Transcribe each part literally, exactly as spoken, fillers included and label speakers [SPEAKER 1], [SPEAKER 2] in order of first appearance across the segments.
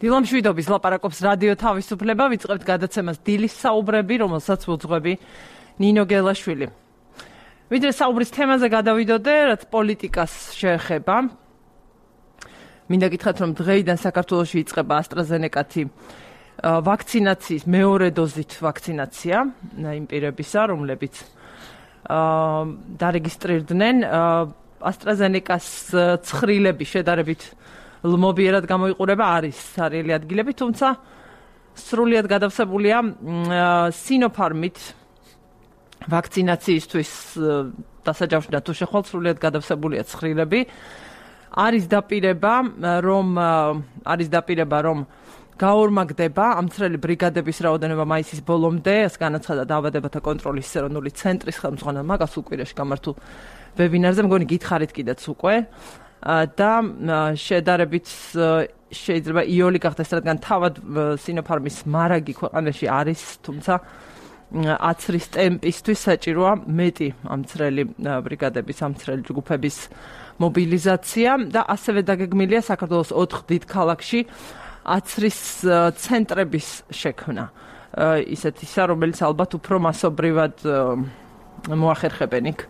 [SPEAKER 1] დილამშვიდობის ლაპარაკობს რადიო თავისუფლება, ვიწყებთ გადაცემას დილის საუბრები, რომელსაც უძღვები ნინო გელაშვილი. ვიდრე საუბრის თემაზე გადავიდოდე, რაც პოლიტიკას შეეხება. მინდა გითხრათ, რომ დღეიდან საქართველოში იწყება AstraZeneca-ი ვაქცინაციის მეორე დოზით ვაქცინაცია იმ პირებისა, რომლებიც დარეგისტრირდნენ. AstraZeneca-ს ცხრილები შედარებით ლმობიერად გამოიყურება, არის სარიელი ადგილები, თუმცა სრულიად გადავსებულია Sinopharm-ით ვაქცინაციისთვის დასაჯავშნად თუ შეხვალ სრულიად გადავსებულია ცხრილები. არის დაპირება, რომ არის დაპირება, რომ გაორმაგდება ამცრელი ბრიგადების რაოდენობა მაისის ბოლომდე, ეს განაცხადა დაავადებათა კონტროლის ეროვნული ცენტრის ხელმძღვანელმა მაგას უკვირაში გამართულ ვებინარზე, მგონი გითხარით კიდეც უკვე და შედარებით შეიძლება იოლი გახდეს, რადგან თავად Sinopharm-ის მარაგი ქვეყანაში არის, თუმცა აცრის ტემპისთვის საჭიროა მეტი ამცრელი ბრიგადების, ამცრელი ჯგუფების მობილიზაცია და ასევე დაგეგმილია საქართველოს ოთხ დიდ ქალაქში აცრის ცენტრების შექმნა. ისეთი ისა, რომელიც ალბათ უფრო მასობრივად მოახერხებენ იქ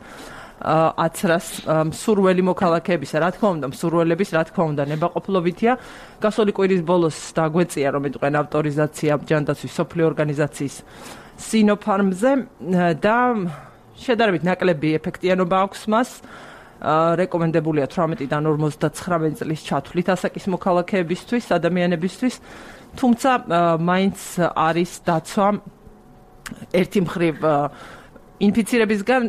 [SPEAKER 1] აცრას მსურველი მოქალაქეებისა, რა თქმა უნდა, მსურველების, რა თქმა უნდა, ნებაყოფლობითია. გასული კვირის ბოლოს დაგვეწია, რომ იტყვენ ავტორიზაცია ჯანდაცვის სოფლიო ორგანიზაციის Sinopharm-ზე და შედარებით ნაკლები ეფექტიანობა აქვს მას. რეკომენდებულია თვრამეტიდან ორმოცდაცხრამეტი წლის ჩათვლით ასაკის მოქალაქეებისთვის, ადამიანებისთვის, თუმცა მაინც არის დაცვა ერთი მხრივ ინფიცირებისგან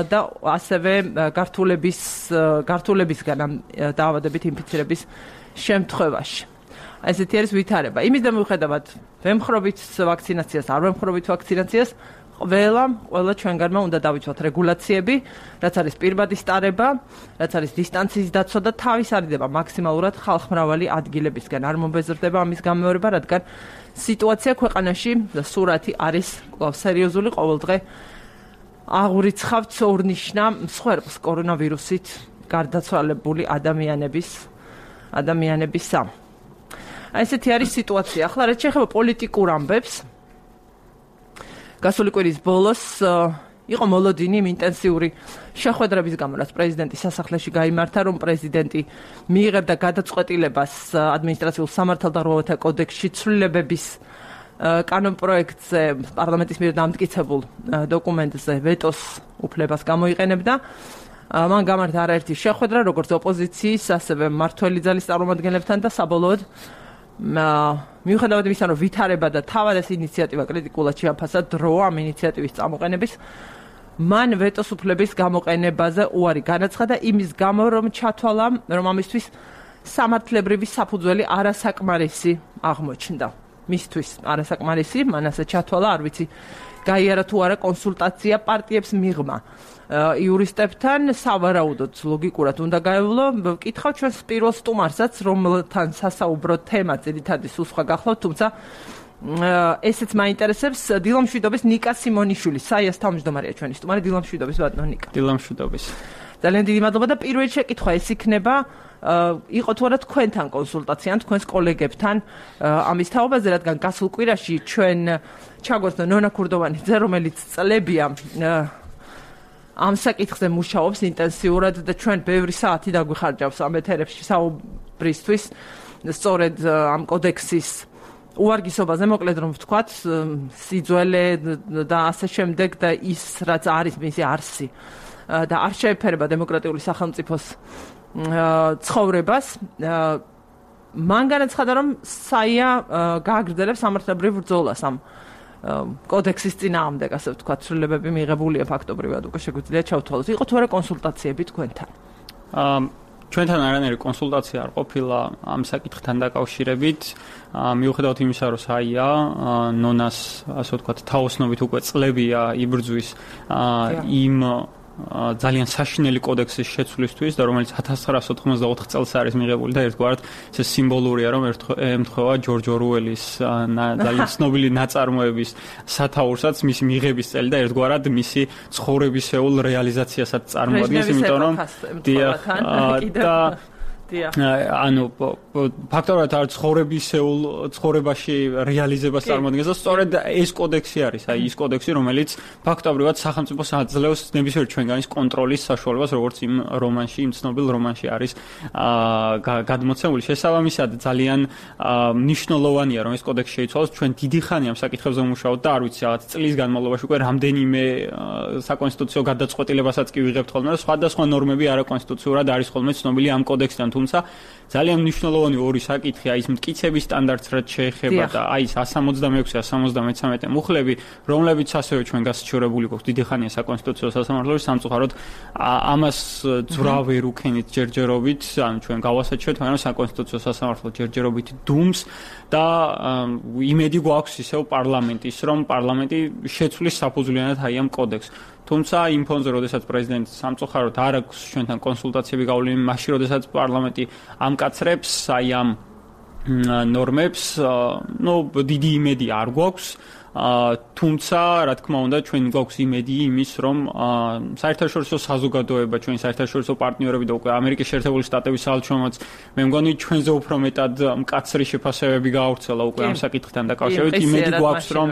[SPEAKER 1] და ასევე გართულების გართულებისგან ამ დაავადებით ინფიცირების შემთხვევაში. ესეთი არის ვითარება. იმის და მიუხედავად ვემხრობით ვაქცინაციას, არ ვემხრობით ვაქცინაციას, ყველა ყველა ჩვენგანმა უნდა დავიცვათ რეგულაციები, რაც არის პირბადი სტარება, რაც არის დისტანციის დაცვა და თავის არიდება მაქსიმალურად ხალხმრავალი ადგილებისგან. არ მომბეზრდება ამის გამეორება, რადგან სიტუაცია ქვეყანაში და სურათი არის კვლავ სერიოზული, ყოველდღე აღურიცხავთ ორნიშნა მსხვერპლს კორონავირუსით გარდაცვალებული ადამიანების ადამიანებისა. ესეთი არის სიტუაცია. ახლა რაც შეეხება პოლიტიკურ ამბებს, გასული კვირის ბოლოს იყო მოლოდინი იმ ინტენსიური შეხვედრების გამო, რაც პრეზიდენტის სასახლეში გაიმართა, რომ პრეზიდენტი მიიღებდა გადაწყვეტილებას ადმინისტრაციულ სამართალდაღუპულთა კოდექსში ცვლილებების კანონპროექტზე პარლამენტის მიერ დამტკიცებულ დოკუმენტზე ვეტოს უფლებას გამოიყენებდა. მან გამართა არაერთი შეხვედრა, როგორც ოპოზიციის, ასევე მმართველი ძალის წარმომადგენლებთან და საბოლოოდ მიუხედავად იმისა, რომ ვითარება და თავად ეს ინიციატივა კრიტიკულად შეაფასა დრო ამ ინიციატივის წამოყენების, მან ვეტოს უფლების გამოყენებაზე უარი განაცხადა იმის გამო, რომ ჩათვალა, რომ ამისთვის სამართლებრივი საფუძველი არასაკმარისი აღმოჩნდა. მისთვის არასაკმარისი, მან ასე ჩათვალა, არ ვიცი, გაიარა თუ არა კონსულტაცია პარტიებს მიღმა იურისტებთან, სავარაუდოდ ლოგიკურად უნდა გაევლო. ვკითხავ ჩვენს პირველ სტუმარსაც, რომელთან სასაუბრო თემა ძირითადი სულ სხვა გახლავთ, თუმცა ესეც მაინტერესებს. დილამშვიდობის ნიკა სიმონიშვილი, საიას თავმჯდომარეა ჩვენი სტუმარი. დილამშვიდობის ბატონო ნიკა.
[SPEAKER 2] დილამშვიდობის.
[SPEAKER 1] ძალიან დიდი მადლობა და პირველი შეკითხვა ეს იქნება, იყო თუ არა თქვენთან კონსულტაცია, თქვენს კოლეგებთან ამის თაობაზე, რადგან გასულ კვირაში ჩვენ ჩაგვეცნო ნონა ქურდოვანიძე, რომელიც წლებია ამ საკითხზე მუშაობს ინტენსიურად და ჩვენ ბევრი საათი დაგვიხარჯავს ამ ეთერებში საუბრისთვის, სწორედ ამ კოდექსის უვარგისობაზე, მოკლედ რომ ვთქვათ, სიძველე და ასე შემდეგ და ის, რაც არის მისი არსი და არ შეეფერება დემოკრატიული სახელმწიფოს ცხოვრებას. მან განაცხადა, რომ საია გააგრძელებს სამართლებრივ ბრძოლას ამ კოდექსის წინააღმდეგ, ასე ვთქვათ, ცვლილებები მიღებულია ფაქტობრივად, უკვე შეგვიძლია ჩავთვალოთ. იყო თუ არა კონსულტაციები თქვენთან?
[SPEAKER 2] ჩვენთან არანაირი კონსულტაცია არ ყოფილა ამ საკითხთან დაკავშირებით. მიუხედავად იმისა, რომ საია ნონას, ასე ვთქვათ, თაოსნობით უკვე წლებია იბრძვის იმ ძალიან საშინელი კოდექსის შეცვლისთვის და რომელიც ათას ცხრაასი ოთხმოცდაოთხ წელს არის მიღებული და ერთგვარად ეს სიმბოლურია, რომ ემთხვევა ჯორჯ ორუელის ძალიან ცნობილი ნაწარმოების სათაურსაც მისი მიღების წელი და ერთგვარად მისი ცხოვრებისეულ რეალიზაციასაც წარმოადგენს, იმიტომ რომ და ანუ ფაქტორად არ ცხოვრებისეულ ცხოვრებაში რეალიზებას წარმოადგენს და სწორედ ეს კოდექსი არის, აი ის კოდექსი, რომელიც ფაქტობრივად სახელმწიფოს აძლევს ნებისმიერ ჩვენგანის კონტროლის საშუალებას, როგორც იმ რომანში, იმ ცნობილ რომანში არის გადმოცემული. შესაბამისად, ძალიან მნიშვნელოვანია, რომ ეს კოდექსი შეიცვალოს. ჩვენ დიდი ხანი ამ საკითხებზე ვმუშაობთ და არ ვიცი, რაღაც წლის განმავლობაში უკვე რამდენიმე საკონსტიტუციო გადაწყვეტილებასაც კი ვიღებთ ხოლმე, და სხვადასხვა ნორმები არაკონსტიტუციურად არის ხოლმე ცნობილი ამ კოდექსიდან. თუმცა ძალიან მნიშვნელოვანი ორი საკითხი, აი ეს მტკიცების სტანდარტს რაც შეეხება და აი ეს one seventy-six one seventy-three მუხლები, რომლებიც ასევე ჩვენ გასაჩივრებული გვაქვს დიდი ხანია საკონსტიტუციო სასამართლოში, სამწუხაროდ ამას ძრავ ვერ უქენით ჯერჯერობით, ანუ ჩვენ გავასაჩივრეთ, მაგრამ საკონსტიტუციო სასამართლო ჯერჯერობით დუმს და იმედი გვაქვს ისევ პარლამენტის, რომ პარლამენტი შეცვლის საფუძვლიანად აი ამ კოდექსს. თუმცა იმ ფონზე, როდესაც პრეზიდენტი სამწუხაროდ არ აქვს ჩვენთან კონსულტაციები გავლილი, მაშინ როდესაც პარლამენტი ამკაცრებს აი ამ ნორმებს, ნუ დიდი იმედი არ გვაქვს. თუმცა, რა თქმა უნდა, ჩვენ გვაქვს იმედი იმის, რომ საერთაშორისო საზოგადოება, ჩვენი საერთაშორისო პარტნიორები და უკვე ამერიკის შეერთებული შტატების საელჩომაც, მე მგონი ჩვენზე უფრო მეტად მკაცრი შეფასებები გაავრცელა უკვე ამ საკითხთან დაკავშირებით. იმედი გვაქვს, რომ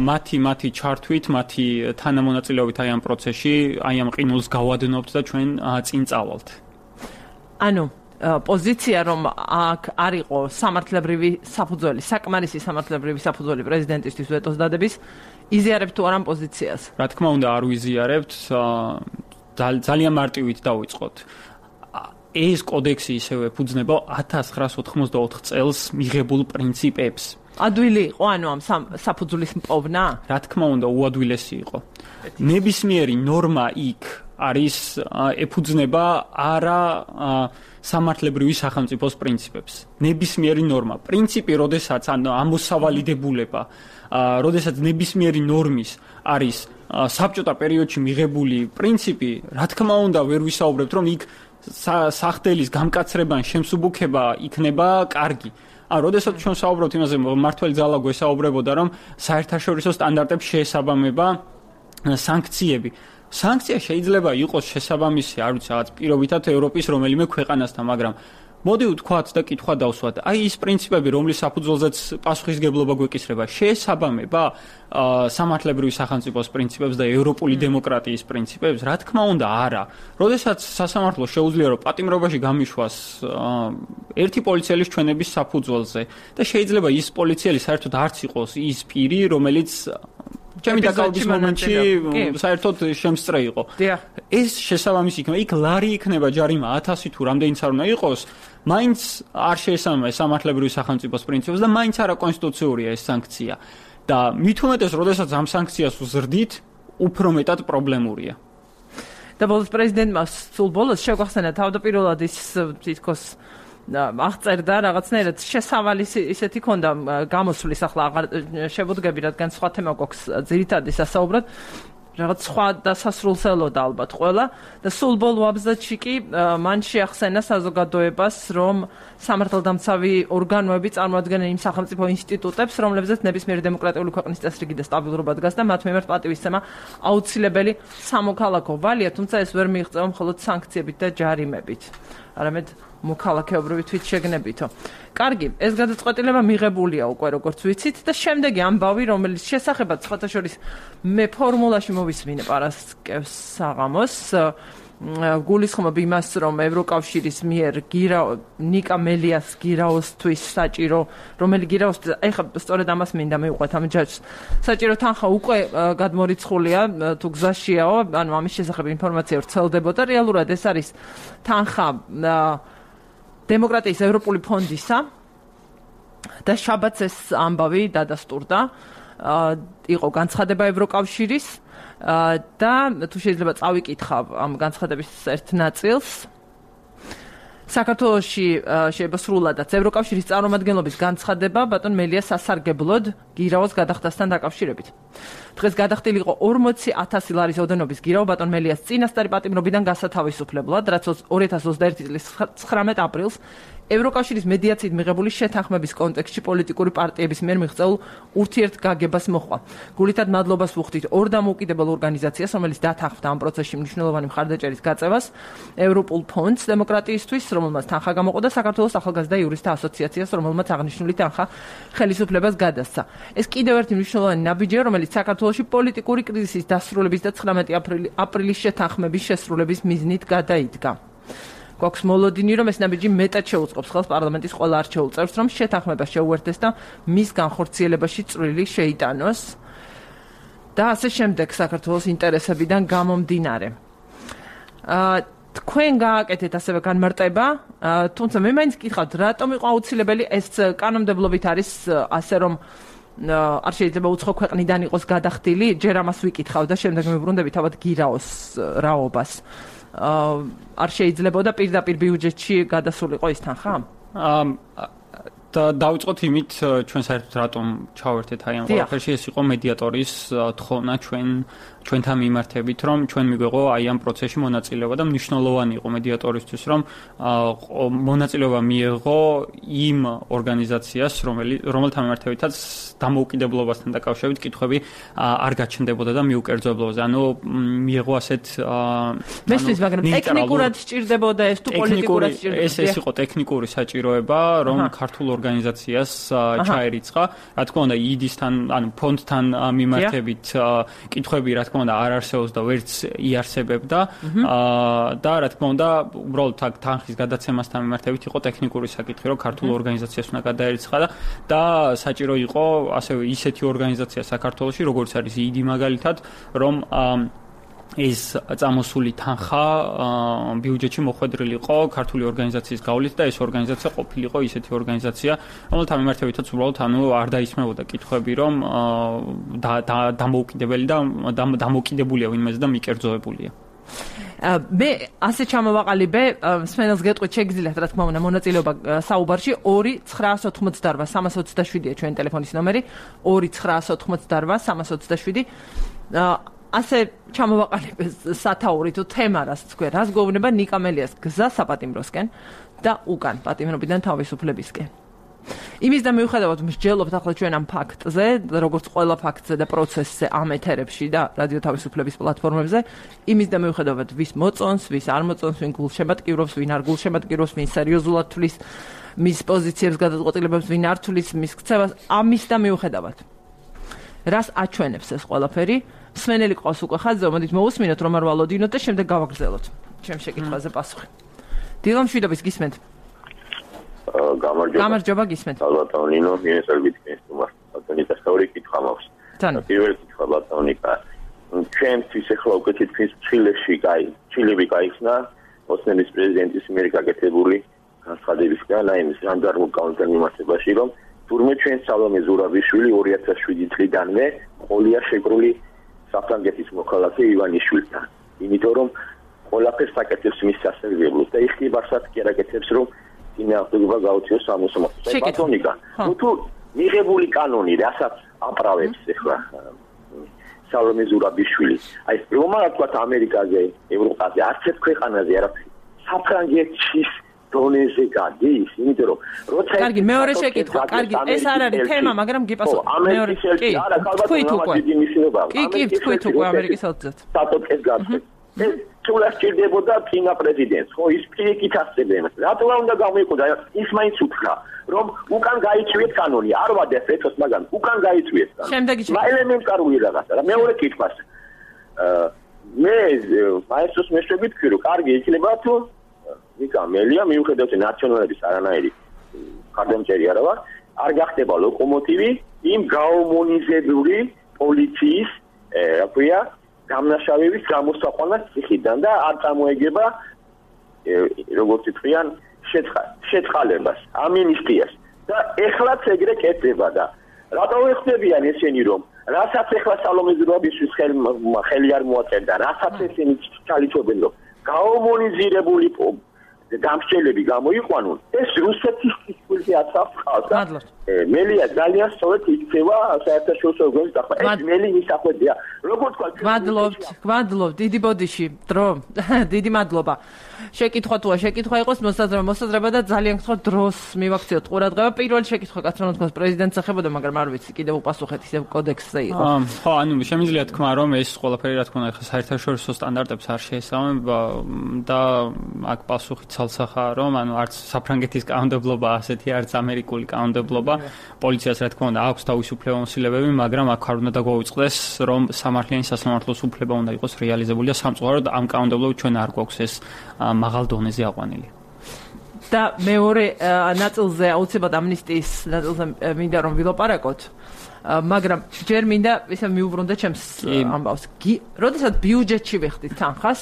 [SPEAKER 2] მათი მათი ჩართვით, მათი თანამონაწილეობით აი ამ პროცესში, აი ამ ყინულს გავადნობთ და ჩვენ წინ წავალთ.
[SPEAKER 1] ანუ პოზიცია, რომ აქ არ იყო სამართლებრივი საფუძველი, საკმარისი სამართლებრივი საფუძველი პრეზიდენტისთვის ვეტოს დადების, იზიარებთ თუ არა პოზიციას?
[SPEAKER 2] რა თქმა უნდა, არ ვიზიარებთ, ძალიან მარტივით დავიწყოთ. ეს კოდექსი ისევე ეფუძნება one thousand nine hundred eighty-four წელს მიღებულ პრინციპებს.
[SPEAKER 1] ადვილი იყო, ანუ ამ საფუძვლის მპოვნა?
[SPEAKER 2] რა თქმა უნდა, უადვილესი იყო. ნებისმიერი ნორმა იქ არის ეფუძნება არა სამართლებრივი სახელმწიფოს პრინციპებს. ნებისმიერი ნორმა, პრინციპი, როდესაც ან ამოსავალიდებულება, როდესაც ნებისმიერი ნორმის არის საბჭოთა პერიოდში მიღებული პრინციპი, რა თქმა უნდა, ვერ ვისაუბრებთ, რომ იქ სახდელის გამკაცრება ან შემსუბუქება იქნება კარგი. ან როდესაც ჩვენ საუბრობთ იმაზე, მართველი ძალა გვესაუბრებოდა, რომ საერთაშორისო სტანდარტებს შეესაბამება სანქციები. სანქცია შეიძლება იყოს შესაბამისი, არ ვიცი, რაღაც პირობითად ევროპის რომელიმე ქვეყანასთან, მაგრამ მოდი ვთქვათ და კითხვა დავსვათ. აი ის პრინციპები, რომლის საფუძველზეც პასუხისგებლობა გვეკისრება, შეესაბამება სამართლებრივი სახელმწიფოს პრინციპებს და ევროპული დემოკრატიის პრინციპებს? რა თქმა უნდა, არა. როდესაც სასამართლო შეუძლია, რომ პატიმრობაში გამიშვას ერთი პოლიციელის ჩვენების საფუძველზე და შეიძლება ის პოლიციელი საერთოდ არც იყოს ის პირი, რომელიც ჩემი დაკავების მომენტში საერთოდ შემსწრე იყო. ეს შესაბამისი იქნება, იქ ლარი იქნება ჯარიმა ათასი თუ რამდენიც არ უნდა იყოს, მაინც არ შეესაბამება სამართლებრივი სახელმწიფოს პრინციპებს და მაინც არა კონსტიტუციურია ეს სანქცია. და მით უმეტეს, როდესაც ამ სანქციას ვზრდით, უფრო მეტად პრობლემურია.
[SPEAKER 1] და ბოლოს პრეზიდენტმა სულ ბოლოს შეგვახსენა თავდაპირველად ის თითქოს აღწერდა რაღაცნაირად შესავალი ისეთი ქონდა გამოსვლის, ახლა აღარ შევუდგები, რადგან სხვა თემა გვაქვს ძირითადი სასაუბრად, რაღაც სხვა დასასრულსელოდა ალბათ ყველა და სულ ბოლო აბზაცში კი მან შეახსენა საზოგადოებას, რომ სამართალდამცავი ორგანოები წარმოადგენენ იმ სახელმწიფო ინსტიტუტებს, რომლებზეც ნებისმიერი დემოკრატიული ქვეყნის წესრიგი და სტაბილურობა დგას და მათ მიმართ პატივისცემა აუცილებელი სამოქალაქო ვალია, თუმცა ეს ვერ მიიღწევა მხოლოდ სანქციებით და ჯარიმებით, არამედ მოქალაქეობრივი თვითშეგნებითო. კარგი, ეს გადაწყვეტილება მიღებულია უკვე, როგორც ვიცით, და შემდეგი ამბავი, რომელიც შესახებაც სხვათა შორის მე ფორმულაში მოვისმინე პარასკევს საღამოს, გულისხმობ იმას, რომ ევროკავშირის მიერ ნიკა მელიას გირაოსთვის საჭირო, რომელი გირაოს, ეხლა სწორედ ამას მინდა მივყვეთ ამ ჯაჭვს, საჭირო თანხა უკვე გადმორიცხულია, თუ გზაშიაო, ანუ ამის შესახებ ინფორმაცია ვრცელდებოდა, რეალურად ეს არის თანხა დემოკრატიის ევროპული ფონდისა და შაბათს ეს ამბავი დადასტურდა, იყო განცხადება ევროკავშირის და თუ შეიძლება წავიკითხავ ამ განცხადების ერთ ნაწილს. საქართველოში შეიძლება სრულადაც ევროკავშირის წარმომადგენლობის განცხადება ბატონ მელიას სასარგებლოდ გირაოს გადახდასთან დაკავშირებით. დღეს გადახდილი იყო ორმოცი ათასი ლარის ოდენობის გირაო ბატონ მელიას წინასწარი პატიმრობიდან გასათავისუფლებლად, რაც ორი ათას ოცდაერთი წლის ცხრამეტ აპრილს ევროკავშირის მედიაციით მიღებული შეთანხმების კონტექსტში პოლიტიკური პარტიების მიერ მიღწეულ ურთიერთგაგებას მოჰყვა. გულითად მადლობას ვუხდით ორ დამოუკიდებელ ორგანიზაციას, რომელიც დათანხმდა ამ პროცესში მნიშვნელოვანი მხარდაჭერის გაწევას, ევროპულ ფონდს დემოკრატიისთვის, რომელმაც თანხა გამოყო და საქართველოს ახალგაზრდა იურისტთა ასოციაციას, რომელმაც აღნიშნული თანხა ხელისუფლებას გადასცა. ეს კიდევ ერთი მნიშვნელოვანი ნაბიჯია, რომელიც საქართველოში პოლიტიკური კრიზისის დასრულების და ცხრამეტი აპრილის შეთანხმების შესრულების მიზნით გადაიდგა. გვაქვს მოლოდინი, რომ ეს ნაბიჯი მეტად შეუწყობს ხელს პარლამენტის ყველა არჩეულ წევრს, რომ შეთანხმება შეუერთდეს და მის განხორციელებაში წვლილი შეიტანოს და ასე შემდეგ საქართველოს ინტერესებიდან გამომდინარე. აა თქვენ გააკეთეთ ასევე განმარტება, თუმცა მე მაინც გითხავთ, რატომ იყო აუცილებელი ეს კანონმდებლობით არის ასე რომ არ შეიძლება უცხო ქვეყნიდან იყოს გადახდილი, ჯერ ამას ვიკითხავ და შემდეგ მივბრუნდები თავად გირაოს რაობას. არ შეიძლებოდა პირდაპირ ბიუჯეტში გადასულიყო ის თანხა?
[SPEAKER 2] და დავიწყოთ იმით, ჩვენ საერთოდ რატომ ჩავერთეთ აი ამ ყველაფერში, ეს იყო მედიატორის თხოვნა ჩვენ ჩვენთან მიმართებით, რომ ჩვენ მიგვეღო აი ამ პროცესში მონაწილეობა და მნიშვნელოვანი იყო მედიატორისთვის, რომ მონაწილეობა მიეღო იმ ორგანიზაციას, რომელიც რომელთან მიმართებითაც დამოუკიდებლობასთან დაკავშირებით კითხვები არ გაჩნდებოდა და მიუკერძოებულობაზე. ანუ მიეღო ასეთ
[SPEAKER 1] მესმის, მაგრამ ტექნიკურად სჭირდებოდა ეს თუ პოლიტიკურად სჭირდებოდა?
[SPEAKER 2] ეს ეს იყო ტექნიკური საჭიროება, რომ ქართულ ორგანიზაციას ჩაერიცხა. რა თქმა უნდა, იდისთან, ანუ ფონდთან მიმართებით კითხვები რა თქმა უნდა არ არსებობს და ვერც იარსებებდა და რა თქმა უნდა, უბრალოდ აქ თანხის გადაცემასთან მიმართებით იყო ტექნიკური საკითხი, რომ ქართულ ორგანიზაციას უნდა გადაერიცხა და საჭირო იყო ასევე ისეთი ორგანიზაცია საქართველოში, როგორც არის იდი მაგალითად, რომ ეს წამოსული თანხა ბიუჯეტში მოხვედრილი იყო ქართული ორგანიზაციის გავლით და ეს ორგანიზაცია ყოფილიყო ისეთი ორგანიზაცია, რომელთან მიმართებითაც უბრალოდ ანუ არ დაისმებოდა კითხვები, რომ დამოუკიდებელი და დამოუკიდებულია ვინმეზე და მიკერძოებულია.
[SPEAKER 1] მე ასე ჩამოვაყალიბე, სვენელს გეტყვით, შეგიძლიათ რა თქმა უნდა მონაწილეობა საუბარში ორი ცხრაას ოთხმოცდაოთხ სამას ოცდაშვიდია ჩვენი ტელეფონის ნომერი, ორი ცხრაას ოთხმოცდაოთხ სამას ოცდაშვიდი. ასე ჩამოვაყალიბე სათაური თუ თემა რაც თქვენ, რას გვეუბნება ნიკა მელიას გზა საპატიმროსკენ და უკან პატიმრობიდან თავისუფლებისკენ. იმის და მიუხედავად მსჯელობთ ახლა ჩვენ ამ ფაქტზე, როგორც ყველა ფაქტზე და პროცესზე ამ ეთერებში და რადიო თავისუფლების პლატფორმებზე, იმის და მიუხედავად ვის მოწონს, ვის არ მოწონს, ვინ გულშემატკივრობს, ვინ არ გულშემატკივრობს, ვინ სერიოზულად თვლის მის პოზიციებს გადაწყვეტილებებს, ვინ არ თვლის მის ქცევას, ამის და მიუხედავად. რას აჩვენებს ეს ყველაფერი? სვენელი ყავს უკვე ხაზზე, მოდით მოусმინოთ რომ არ ვალოდინოთ და შემდეგ გავაგრძელოთ ჩემ შეკითხვაზე პასუხი. დილამშვიდობის გისმენთ?
[SPEAKER 3] გამარჯობა.
[SPEAKER 1] გამარჯობა გისმენთ.
[SPEAKER 3] ალბათ ნინო, მიესალმებით გესტუმარს. ბატონი დასწავრი კითხვა მაქვს. პირველი კითხვა ბატონიკა. ჩვენთვის ახლა უკვე თითქმის ჩილეში კაი, ჩილები გაიხსნა ოსმანის პრეზიდენტის მიერ გაკეთებული განცხადებისგან, აი ეს ჟანდარმურ კანონთან მიმართებაში, რომ თურმე ჩვენ სალომე ზურაბიშვილი ორი ათას შვიდი წლიდანვე ყოლია შეკრული საფრანგეთის მოქალაქე ივანიშვილთან. იმიტომ რომ ყველაფერს აკეთებს მის სასარგებლოდ და იხტიბარსაც კი არაკეთებს, რომ წინააღმდეგობა გაუწიოს სამოსამართლოს. ბატონიკა, თუ მიღებული კანონი, რასაც აპრავებს ახლა სალომე ზურაბიშვილი, აი რომ რა თქვა ამერიკაზე, ევროპაზე, არც ერთ ქვეყანაზე არაფერი. საფრანგეთის დონეზე გადის, იმიტომ რომ როცა
[SPEAKER 1] კარგი, მეორე შეკითხვა, კარგი, ეს არ არის თემა, მაგრამ გიპასუხ. მეორე კი, თქვით უკვე. კი, კი, თქვით უკვე ამერიკის ელჩად.
[SPEAKER 3] სატოტკეს გასწრებს. ეს თულა სჭირდებოდა წინა პრეზიდენტს, ხო, ის პირიქით ასწრებდა იმას. რატო უნდა გამოიყოდა? ის მაინც უთხრა, რომ უკან გაიწვიეთ კანონი, არ ვადეთ ეთოს, მაგრამ უკან გაიწვიეთ.
[SPEAKER 1] შემდეგი
[SPEAKER 3] შეკითხვა. ელემენტარული რაღაცა. და მეორე კითხვას. აა მე მაესტროს მეშვებით ვქი, რომ კარგი იქნება თუ ნიკა მელია მიუხედავად ნაციონალების არანაირი ხარდამჭერი არა ვარ, არ გახდება ლოკომოტივი იმ გაომონიზებული პოლიციის, რა ქვია, გამნაშავების გამოსაყვანად ციხიდან და არ წამოეგება როგორც ითქვიან შეწყალებას, ამინისტიას და ეხლაც ეგრე კეთდება და რატო ეხდებიან ესენი რომ რასაც ეხლა სალომე ზურაბიშვილის ხელი არ მოაწერდა, რასაც ესენი ჩალიქობენ რომ გაომონიზირებული გამსჯელები გამოიყვანონ, ეს რუსეთის კითხვაზე აცავს ხალხს. მელია ძალიან სწორად იქცევა საერთაშორისო ორგანიზმის დახმა. ეს მელი მისახვედია. როგორ თქვა?
[SPEAKER 1] გვადლობთ, გვადლობთ, დიდი ბოდიში, დრო. დიდი მადლობა. შეკითხვა თუა შეკითხვა იყოს მოსაზრება, მოსაზრება და ძალიან გთხოვთ დროს მივაქციოთ ყურადღება. პირველი შეკითხვა კაცრონო თქოს პრეზიდენტს ეხებოდა, მაგრამ არ ვიცი, კიდევ უპასუხეთ ისევ კოდექსზე იყო.
[SPEAKER 2] ხო, ანუ შემიძლია თქვა, რომ ეს ყველაფერი რა თქმა უნდა ხა საერთაშორისო სტანდარტებს არ შეესაბამება და აქ პასუხი ცალსახაა, რომ ანუ არც საფრანგეთის კანონმდებლობა ასეთი, არც ამერიკული კანონმდებლობა პოლიციას რა თქმა უნდა აქვს თავისუფლება მოსილებები, მაგრამ აქ არ უნდა დაგვაუწყდეს, რომ სამართლიანი სასამართლოს უფლება უნდა იყოს რეალიზებული და სამწუხაროდ ამ კანონმდებლობით ჩვენ არ გვაქვს ეს მაღალ დონეზე აყვანილი.
[SPEAKER 1] და მეორე ნაწილზე აუცილებლად ამნისტიის ნაწილზე მინდა რომ ვილაპარაკოთ, მაგრამ ჯერ მინდა ისე მიუბრუნდე ჩემს ამბავს. როდესაც ბიუჯეტში ვიხდით თანხას,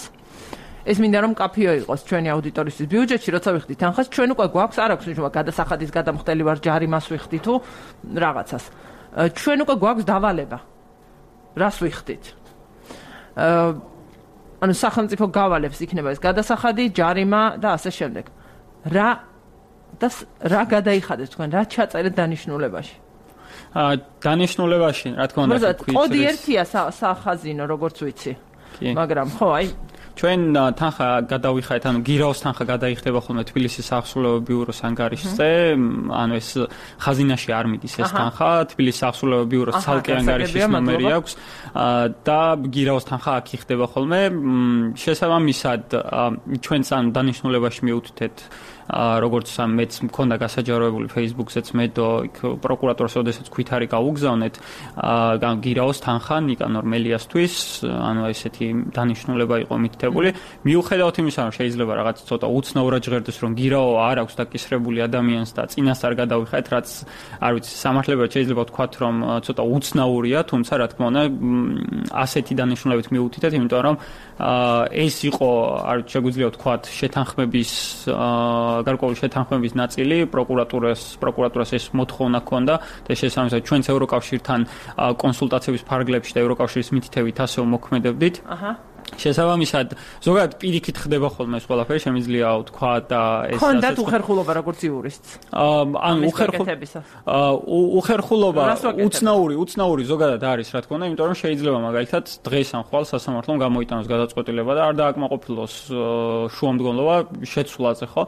[SPEAKER 1] ეს მინდა რომ კაფეო იყოს ჩვენი აუდიტორისთვის ბიუჯეტში, როცა ვიხდით თანხას, ჩვენ უკვე გვაქვს არ აქვს ნიშნობა გადასახადის გადამხდელი ვარ ჯარიმას ვიხდი თუ რაღაცას. ჩვენ უკვე გვაქვს დავალება. რას ვიხდით? ანუ სახელმწიფო გავალებს იქნება ეს გადასახადი, ჯარიმა და ასე შემდეგ. რა და რა გადაიხადეთ თქვენ, რა ჩაწერეთ დანიშნულებაში?
[SPEAKER 2] აა დანიშნულებაში, რა თქმა უნდა,
[SPEAKER 1] კოდი ერთია სახაზინო, როგორც ვიცი. მაგრამ ხო, აი
[SPEAKER 2] ჩვენ თანხა გადავიხადეთ, ანუ გირაოს თანხა გადაიხდება ხოლმე თბილისის საახსრულებო ბიუროს ანგარიშზე, ანუ ეს ხაზინაში არ მიდის ეს თანხა, თბილისის საახსრულებო ბიუროს ცალკე ანგარიშის ნომერი აქვს და გირაოს თანხა აქ იხდება ხოლმე. შესაბამისად, ჩვენც ანუ დანიშნულებაში მივუთითეთ როგორც მეც მქონდა გასაჯაროებული Facebook-ზეც მე და იქ პროკურატურას ოდესაც ქვითარი გაუგზავნეთ გირაოს თანხა ნიკანორ მელიასთვის, ანუ ესეთი დანიშნულება იყო მითითებული. მიუხედავად იმისა, რომ შეიძლება რაღაც ცოტა უცნაურად ჟღერდეს, რომ გირაო არ აქვს დაკისრებული ადამიანს და წინასწარ გადავიხადეთ, რაც არ ვიცი, სამართლებრივად შეიძლება ვთქვათ, რომ ცოტა უცნაურია, თუმცა რა თქმა უნდა, ასეთი დანიშნულებით მიუთითეთ, იმიტომ რომ ეს იყო, არ შეგვიძლია ვთქვათ, შეთანხმების გარკვეული შეთანხმების ნაწილი, პროკურატურას პროკურატურას ეს მოთხოვნა ჰქონდა და შესაბამისად ჩვენც ევროკავშირთან კონსულტაციების ფარგლებში და ევროკავშირის მითითებით ასე მოქმედებდით. აჰა. შესაბამისად, ზოგადად პირიქით ხდება ხოლმე ეს ყველაფერი, შემიძლია ვთქვა და ეს
[SPEAKER 1] ასე ხონდათ უხერხულობა როგორც იურისტს.
[SPEAKER 2] ანუ უხერხულობა უცნაური, უცნაური ზოგადად არის, რა თქმა უნდა, იმიტომ რომ შეიძლება მაგალითად დღეს ან ხვალ სასამართლომ გამოიტანოს გადაწყვეტილება და არ დააკმაყოფილოს შუამდგომლობა შეცვლაზე, ხო?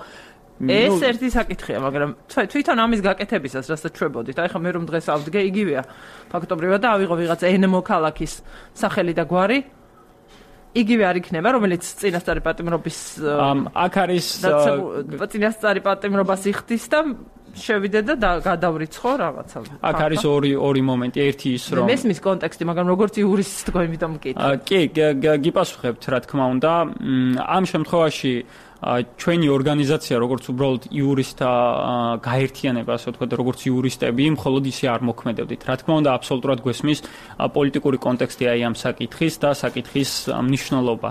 [SPEAKER 1] ეს ერთი საკითხია, მაგრამ თვითონ ამის გაკეთებისას, რასაც ჩვებოდით, აი ხა მე რომ დღეს ავდგე, იგივეა. ფაქტობრივად და ავიღო ვიღაც ენემო ქალაქის სახელი და გვარი. იგივე არ იქნება, რომელიც წინასწარი პატიმრობის
[SPEAKER 2] აქ არის
[SPEAKER 1] წინასწარი პატიმრობას იხდის და შევიდე და გადავრიცხო რაღაცა.
[SPEAKER 2] აქ არის ორი ორი მომენტი, ერთი ის რომ
[SPEAKER 1] მესმის კონტექსტი, მაგრამ როგორც იურისტს თქვენ იმიტომ მკითხავთ.
[SPEAKER 2] კი, გიპასუხებთ, რა თქმა უნდა, ამ შემთხვევაში ჩვენი ორგანიზაცია, როგორც უბრალოდ იურისტთა გაერთიანება, ასე ვთქვათ, როგორც იურისტები, მხოლოდ ისე არ მოქმედებდით. რა თქმა უნდა, აბსოლუტურად გვესმის პოლიტიკური კონტექსტი აი ამ საკითხის და საკითხის მნიშვნელობა.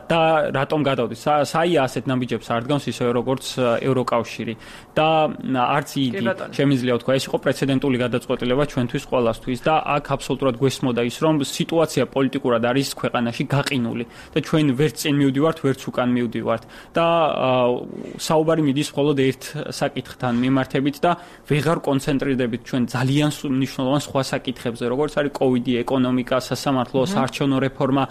[SPEAKER 2] და რატომ გადავდით? საია ასეთ ნაბიჯებს არ დგამს ისე როგორც ევროკავშირი. და არც იგი შემიძლია ვთქვა, ეს იყო პრეცედენტული გადაწყვეტილება ჩვენთვის ყველასთვის და აქ აბსოლუტურად გვესმოდა ის, რომ სიტუაცია პოლიტიკურად არის ქვეყანაში გაყინული და ჩვენ ვერც წინ მივდივართ, ვერც უკან მივდივართ. და საუბარი მიდის მხოლოდ ერთ საკითხთან მიმართებით და ვეღარ კონცენტრირდებით ჩვენ ძალიან მნიშვნელოვან სხვა საკითხებზე, როგორც არის კოვიდი, ეკონომიკა, სასამართლო, საარჩევნო რეფორმა.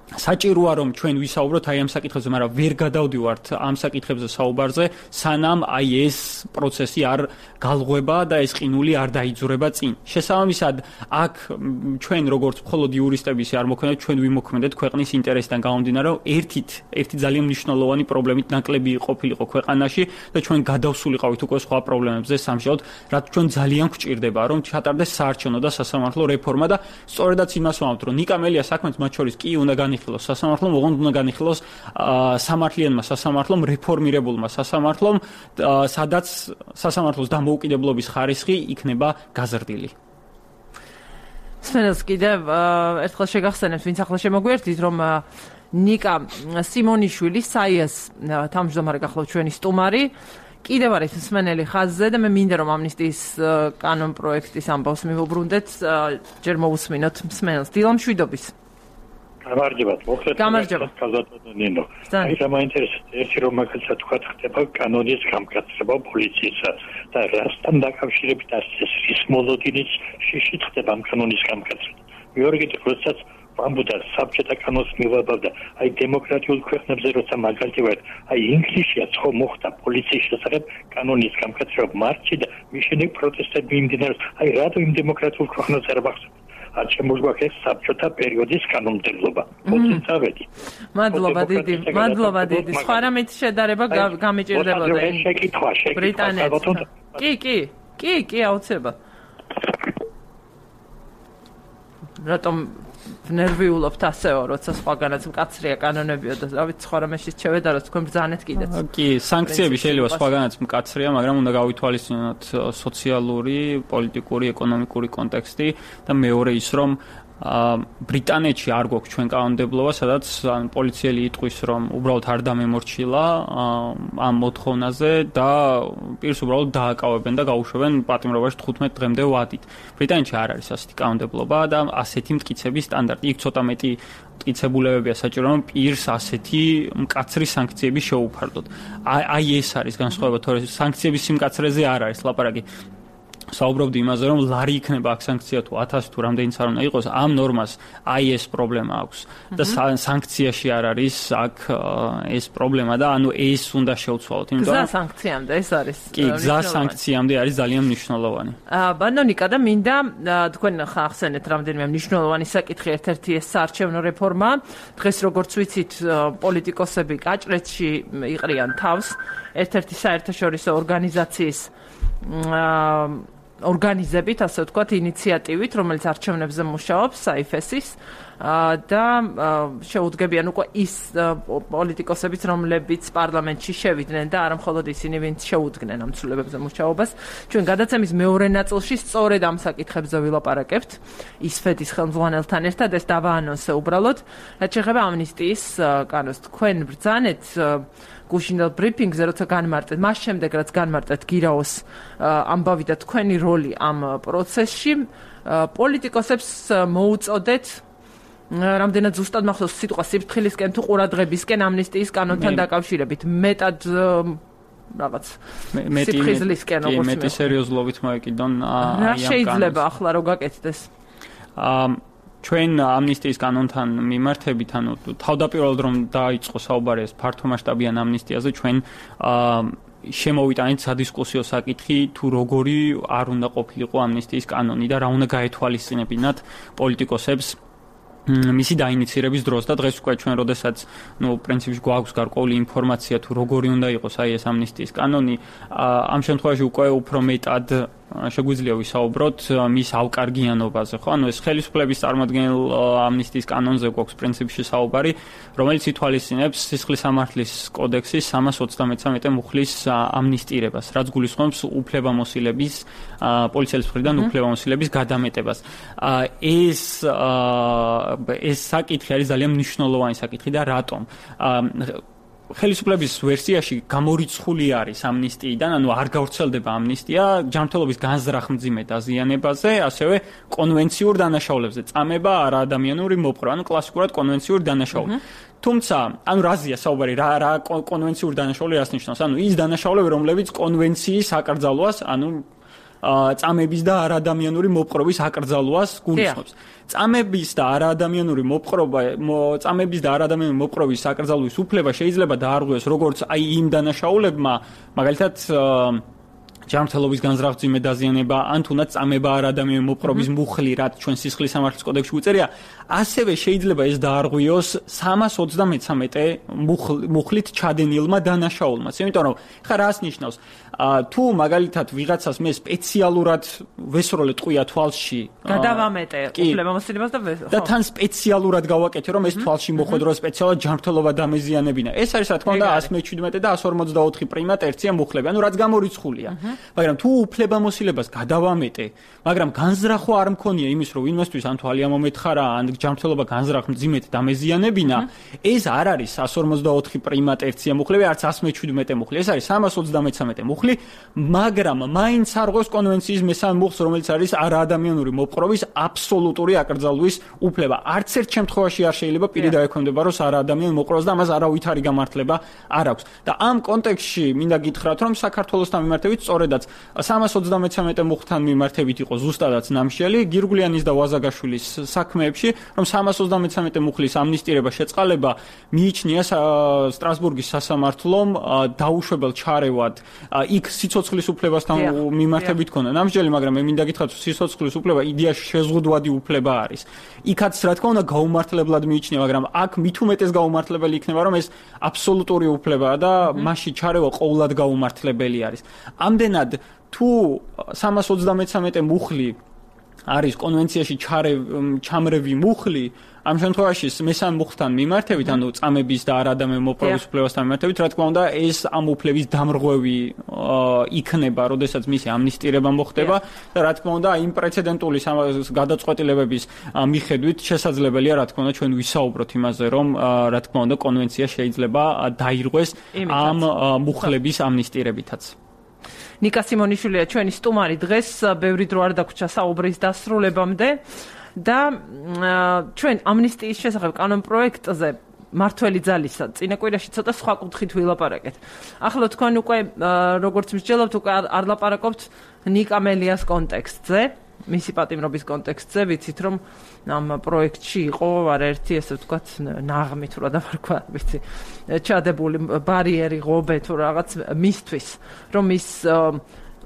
[SPEAKER 2] საჭიროა რომ ჩვენ ვისაუბროთ აი ამ საკითხებზე, მაგრამ ვერ გადავდივართ ამ საკითხებზე საუბარზე, სანამ აი ეს პროცესი არ galღვება და ეს ყინული არ დაიძურება წინ. შესაბამისად, აქ ჩვენ როგორც მხოლოდ იურისტები ისე არ მოქმედეთ, ჩვენ ვიმოქმედეთ ქვეყნის ინტერესიდან გამომდინარე, რომ ერთით, ერთი ძალიან მნიშვნელოვანი პრობლემით ნაკლები ყოფილიყო ქვეყანაში და ჩვენ გადავსულიყავით უკვე სხვა პრობლემებზე სამშაბათ, რაც ჩვენ ძალიან გვჭირდება, რომ ჩატარდეს საარჩევნო და სასამართლო რეფორმა და სწორედაც იმას ვამბობთ, რომ ნიკა მელიას საქმეც მათ შორის კი უნდა განიხილოს სასამართლომ, ოღონდ უნდა განიხილოს სამართლიანმა სასამართლომ, რეფორმირებულმა სასამართლომ, სადაც სასამართლოს დამოუკიდებლობის ხარისხი იქნება გაზრდილი.
[SPEAKER 1] სპენელს კიდევ ერთხელ შეგახსენებთ, ვინც ახლა შემოგვიერთდით, რომ ნიკა სიმონიშვილი, საიას თავმჯდომარე გახლავთ ჩვენი სტუმარი, კიდევ არის მსმენელი ხაზზე და მე მინდა რომ ამნისტიის კანონ პროექტის ამბავს მივუბრუნდეთ, ჯერ მოусმინოთ მსმენელს. დილა მშვიდობის.
[SPEAKER 4] გამარჯობათ, მოხდეთ.
[SPEAKER 1] გამარჯობა.
[SPEAKER 4] კაზატონინო. აი რა მაინტერესებს, ერთი რომ მაგალითად თქვა ხდება კანონის გამკაცება პოლიციისა და რასთან დაკავშირებით არის ის მოლოდინის შიში ხდება ამ კანონის გამკაცება. მეორე კიდევ როდესაც ვამბობდა საბჭოთა კანონს მივაბავდა, აი დემოკრატიულ ქვეყნებზე როცა მაგალითად აი ინგლისშია ხო მოხდა პოლიციის შესახებ კანონის გამკაცება მარტში და მის შემდეგ პროტესტები მიმდინარეობს. აი რატო იმ დემოკრატიულ ქვეყნებზე არ ვახსოვთ? არ შემოგვაქეს საბჭოთა პერიოდის კანონმდებლობა. მოწინ წავედი.
[SPEAKER 1] მადლობა დიდი, მადლობა დიდი. სხვა რამით შედარება გამიჭირდებოდა.
[SPEAKER 4] შეკითხვა, შეკითხვა.
[SPEAKER 1] კი, კი, კი, კი, აუცილებლად. რატომ ნერვიულობთ ასეო, როცა სხვაგანაც მკაცრია კანონებიო და დავით სხვა რამეში შევედა, რომ თქვენ ბრძანეთ კიდეც.
[SPEAKER 2] კი, სანქციები შეიძლება სხვაგანაც მკაცრია, მაგრამ უნდა გავითვალისწინოთ სოციალური, პოლიტიკური, ეკონომიკური კონტექსტი და მეორე ის, რომ ბრიტანეთში არ გვაქვს ჩვენ კანონმდებლობა, სადაც პოლიციელი იტყვის, რომ უბრალოდ არ დამემორჩილა ამ მოთხოვნაზე და პირს უბრალოდ დააკავებენ და გაუშვებენ პატიმრობაში თხუთმეტ დღემდე ვადით. ბრიტანეთში არ არის ასეთი კანონმდებლობა და ასეთი მტკიცების სტანდარტი. იქ ცოტა მეტი მტკიცებულებებია საჭირო, რომ პირს ასეთი მკაცრი სანქციები შეუფარდოთ. აი ეს არის განსხვავება, თორე სანქციების სიმკაცრეზე არ არის ლაპარაკი. საუბრობდი იმაზე, რომ ლარი იქნება აქ სანქცია თუ ათასი თუ რამდენიც არ უნდა იყოს, ამ ნორმას აი ეს პრობლემა აქვს და სანქციაში არ არის აქ ეს პრობლემა და ანუ ეს უნდა შევცვალოთ,
[SPEAKER 1] იმიტომ რომ გზა სანქციამდე ეს არის.
[SPEAKER 2] კი, გზა სანქციამდე არის ძალიან მნიშვნელოვანი.
[SPEAKER 1] აა ბანონიკა და მინდა თქვენ ხახსენეთ რამდენიმე მნიშვნელოვანი საკითხი, ერთ-ერთი ეს საარჩევნო რეფორმა. დღეს როგორც ვიცით, პოლიტიკოსები კაჭრეთში იყრიან თავს, ერთ-ერთი საერთაშორისო ორგანიზაციის აა ორგანიზებით, ასე ვთქვათ, ინიციატივით, რომელიც არჩევნებზე მუშაობს, საიფესის და შეუდგებიან უკვე ის პოლიტიკოსებიც, რომლებიც პარლამენტში შევიდნენ და არა მხოლოდ ისინი, ვინც შეუდგნენ ამ ცვლილებებზე მუშაობას. ჩვენ გადაცემის მეორე ნაწილში სწორედ ამ საკითხებზე ვილაპარაკებთ ისფეთის ხელმძღვანელთან ერთად, ეს დავაანონსე უბრალოდ. რაც შეეხება ამნისტიის კანონს, თქვენ ბრძანეთ გუშინდელ ბრიფინგზე, როცა განმარტეთ, მას შემდეგ რაც განმარტეთ გირაოს ამბავი და თქვენი როლი ამ პროცესში, პოლიტიკოსებს მოუწოდეთ რამდენად ზუსტად მახსოვს სიტყვა სიფრთხილისკენ თუ ყურადღებისკენ ამნისტიის კანონთან დაკავშირებით, მეტად რაღაც სიფრთხილისკენ როგორც
[SPEAKER 2] მეტი სერიოზულობით მოეკიდონ აი
[SPEAKER 1] ამ კანონს. რა შეიძლება ახლა რო გაკეთდეს?
[SPEAKER 2] აა ჩვენ ამნისტიის კანონთან მიმართებით, ანუ თავდაპირველად რომ დაიწყო საუბარი ეს ფართომასშტაბიან ამნისტიაზე, ჩვენ შემოვიტანეთ სადისკუსიო საკითხი, თუ როგორი არ უნდა ყოფილიყო ამნისტიის კანონი და რა უნდა გაეთვალისწინებინათ პოლიტიკოსებს მისი დაინიცირების დროს და დღეს უკვე ჩვენ როდესაც ნუ პრინციპში გვაქვს გარკვეული ინფორმაცია თუ როგორი უნდა იყოს აი ეს ამნისტიის კანონი, ამ შემთხვევაში უკვე უფრო მეტად შეგვიძლია ვისაუბროთ მის ავკარგიანობაზე, ხო? ანუ ეს ხელისუფლების წარმოადგენელ ამნისტიის კანონზე გვაქვს პრინციპში საუბარი, რომელიც ითვალისწინებს სისხლის სამართლის კოდექსის სამას ოცდამეცამეტე მუხლის ამნისტირებას, რაც გულისხმობს უფლებამოსილების პოლიციელის მხრიდან უფლებამოსილების გადამეტებას. ეს ეს საკითხი არის ძალიან მნიშვნელოვანი საკითხი და რატომ? ხელისუფლების ვერსიაში გამორიცხული არის ამნისტიიდან, ანუ არ გავრცელდება ამნისტია ჯანმრთელობის განზრახ-მძიმე დაზიანებაზე, ასევე კონვენციურ დანაშაულებზე, წამება არაადამიანური მოპყრობა, ანუ კლასიკურად კონვენციური დანაშაული. თუმცა, ანუ რაზეა საუბარი, რა რა კონვენციური დანაშაული რას ნიშნავს? ანუ ის დანაშაულები, რომლებიც კონვენციის აკრძალვას, ანუ წამების და არაადამიანური მოპყრობის აკრძალვას გულისხმობს. წამების და არაადამიანური მოპყრობა, წამების და არაადამიანური მოპყრობის აკრძალვის უფლება შეიძლება დაარღვიოს როგორც აი იმ დანაშაულებმა, მაგალითად ჯანმრთელობის განზრახ-მძიმე დაზიანება, ან თუნდაც წამება არაადამიანური მოპყრობის მუხლი, რაც ჩვენ სისხლის სამართლის კოდექსში უწერია, ასევე შეიძლება ეს დაარღვიოს სამას ოცდამეცამეტე მუხლით ჩადენილმა დანაშაულმა. იმიტომ რომ ხა რას ნიშნავს? თუ მაგალითად ვიღაცას მე სპეციალურად ვესროლე ტყვია თვალში,
[SPEAKER 1] გადავამეტე უფლებამოსილებას და ხო.
[SPEAKER 2] და თან სპეციალურად გავაკეთე, რომ ეს თვალში მოხვედრო სპეციალურად ჯანმრთელობა დამეზიანებინა. ეს არის რა თქმა უნდა ასი მეჩვიდმეტე და ასი ორმოცდაოთხი პრიმა ტერცია მუხლები, ანუ რაც გამორიცხულია. მაგრამ თუ უფლებამოსილებას გადავამეტე, მაგრამ განზრახვა არ მქონია იმის, რომ ვინმესთვის ან თვალი ამომეთხარა, ან ჯანმრთელობა განზრახ-მძიმედ დამეზიანებინა, ეს არ არის ასი ორმოცდაოთხი პრიმა ტერცია მუხლები, არც ასი მეჩვიდმეტე მუხლი, ეს არის სამას ოცდამეცამეტე მუხლი. მუხლი, მაგრამ მაინც არ ღვევს კონვენციის მესამე მუხლს, რომელიც არის არაადამიანური მოპყრობის აბსოლუტური აკრძალვის უფლება. არც ერთ შემთხვევაში არ შეიძლება პირი დაექვემდებაროს არაადამიანურ მოპყრობას და ამას არავითარი გამართლება არ აქვს. და ამ კონტექსტში მინდა გითხრათ, რომ საქართველოსთან მიმართებით სწორედაც სამას ოცდამეცამეტე მუხლთან მიმართებით იყო ზუსტადაც ნამშელი გირგვლიანის და ვაზაგაშვილის საქმეებში, რომ სამას ოცდამეცამეტე მუხლის ამნისტირება შეწყალება მიიჩნია სტრასბურგის სასამართლომ დაუშვებელ ჩარევად იქ სიცოცხლის უფლებასთან მიმართებით ქონდა ნამსჯელი, მაგრამ მე მინდა გითხრათ, რომ სიცოცხლის უფლება იდეაში შეზღუდვადი უფლება არის. იქაც რა თქმა უნდა გაუმართლებლად მიიჩნია, მაგრამ აქ მით უმეტეს გაუმართლებელი იქნება, რომ ეს აბსოლუტური უფლებაა და მასში ჩარევა ყოვლად გაუმართლებელი არის. ამდენად თუ სამას ოცდამეცამეტე მუხლი არის კონვენციაში ჩამრევი მუხლი, ამ შემთხვევაში მესამე მუხლთან მიმართებით, ანუ წამების და არაადამიანური მოპყრობის უფლებასთან მიმართებით, რა თქმა უნდა, ეს ამ უფლების დამრღვევი იქნება, როდესაც მისი ამნისტირება მოხდება და რა თქმა უნდა, იმ პრეცედენტული გადაწყვეტილებების მიხედვით შესაძლებელია, რა თქმა უნდა, ჩვენ ვისაუბროთ იმაზე, რომ რა თქმა უნდა, კონვენცია შეიძლება დაირღვეს ამ მუხლების ამნისტირებითაც.
[SPEAKER 1] ნიკა სიმონიშვილია ჩვენი სტუმარი დღეს, ბევრი დრო არ დაგვრჩა საუბრის დასრულებამდე და ჩვენ ამნისტიის შესახებ კანონპროექტზე მართველი ძალისა წინა კვირაში ცოტა სხვა კუთხით ვილაპარაკეთ. ახლა თქვენ უკვე როგორც მსჯელობთ, უკვე არ ლაპარაკობთ ნიკა მელიას კონტექსტზე, მისი პატიმრობის კონტექსტზე, ვიცით რომ ამ პროექტში იყო არაერთი, ესე ვთქვათ, ნაღმი თუ რა დავარქვა, ვიცი, ჩადებული ბარიერი, ღობე თუ რაღაც მისთვის, რომ ის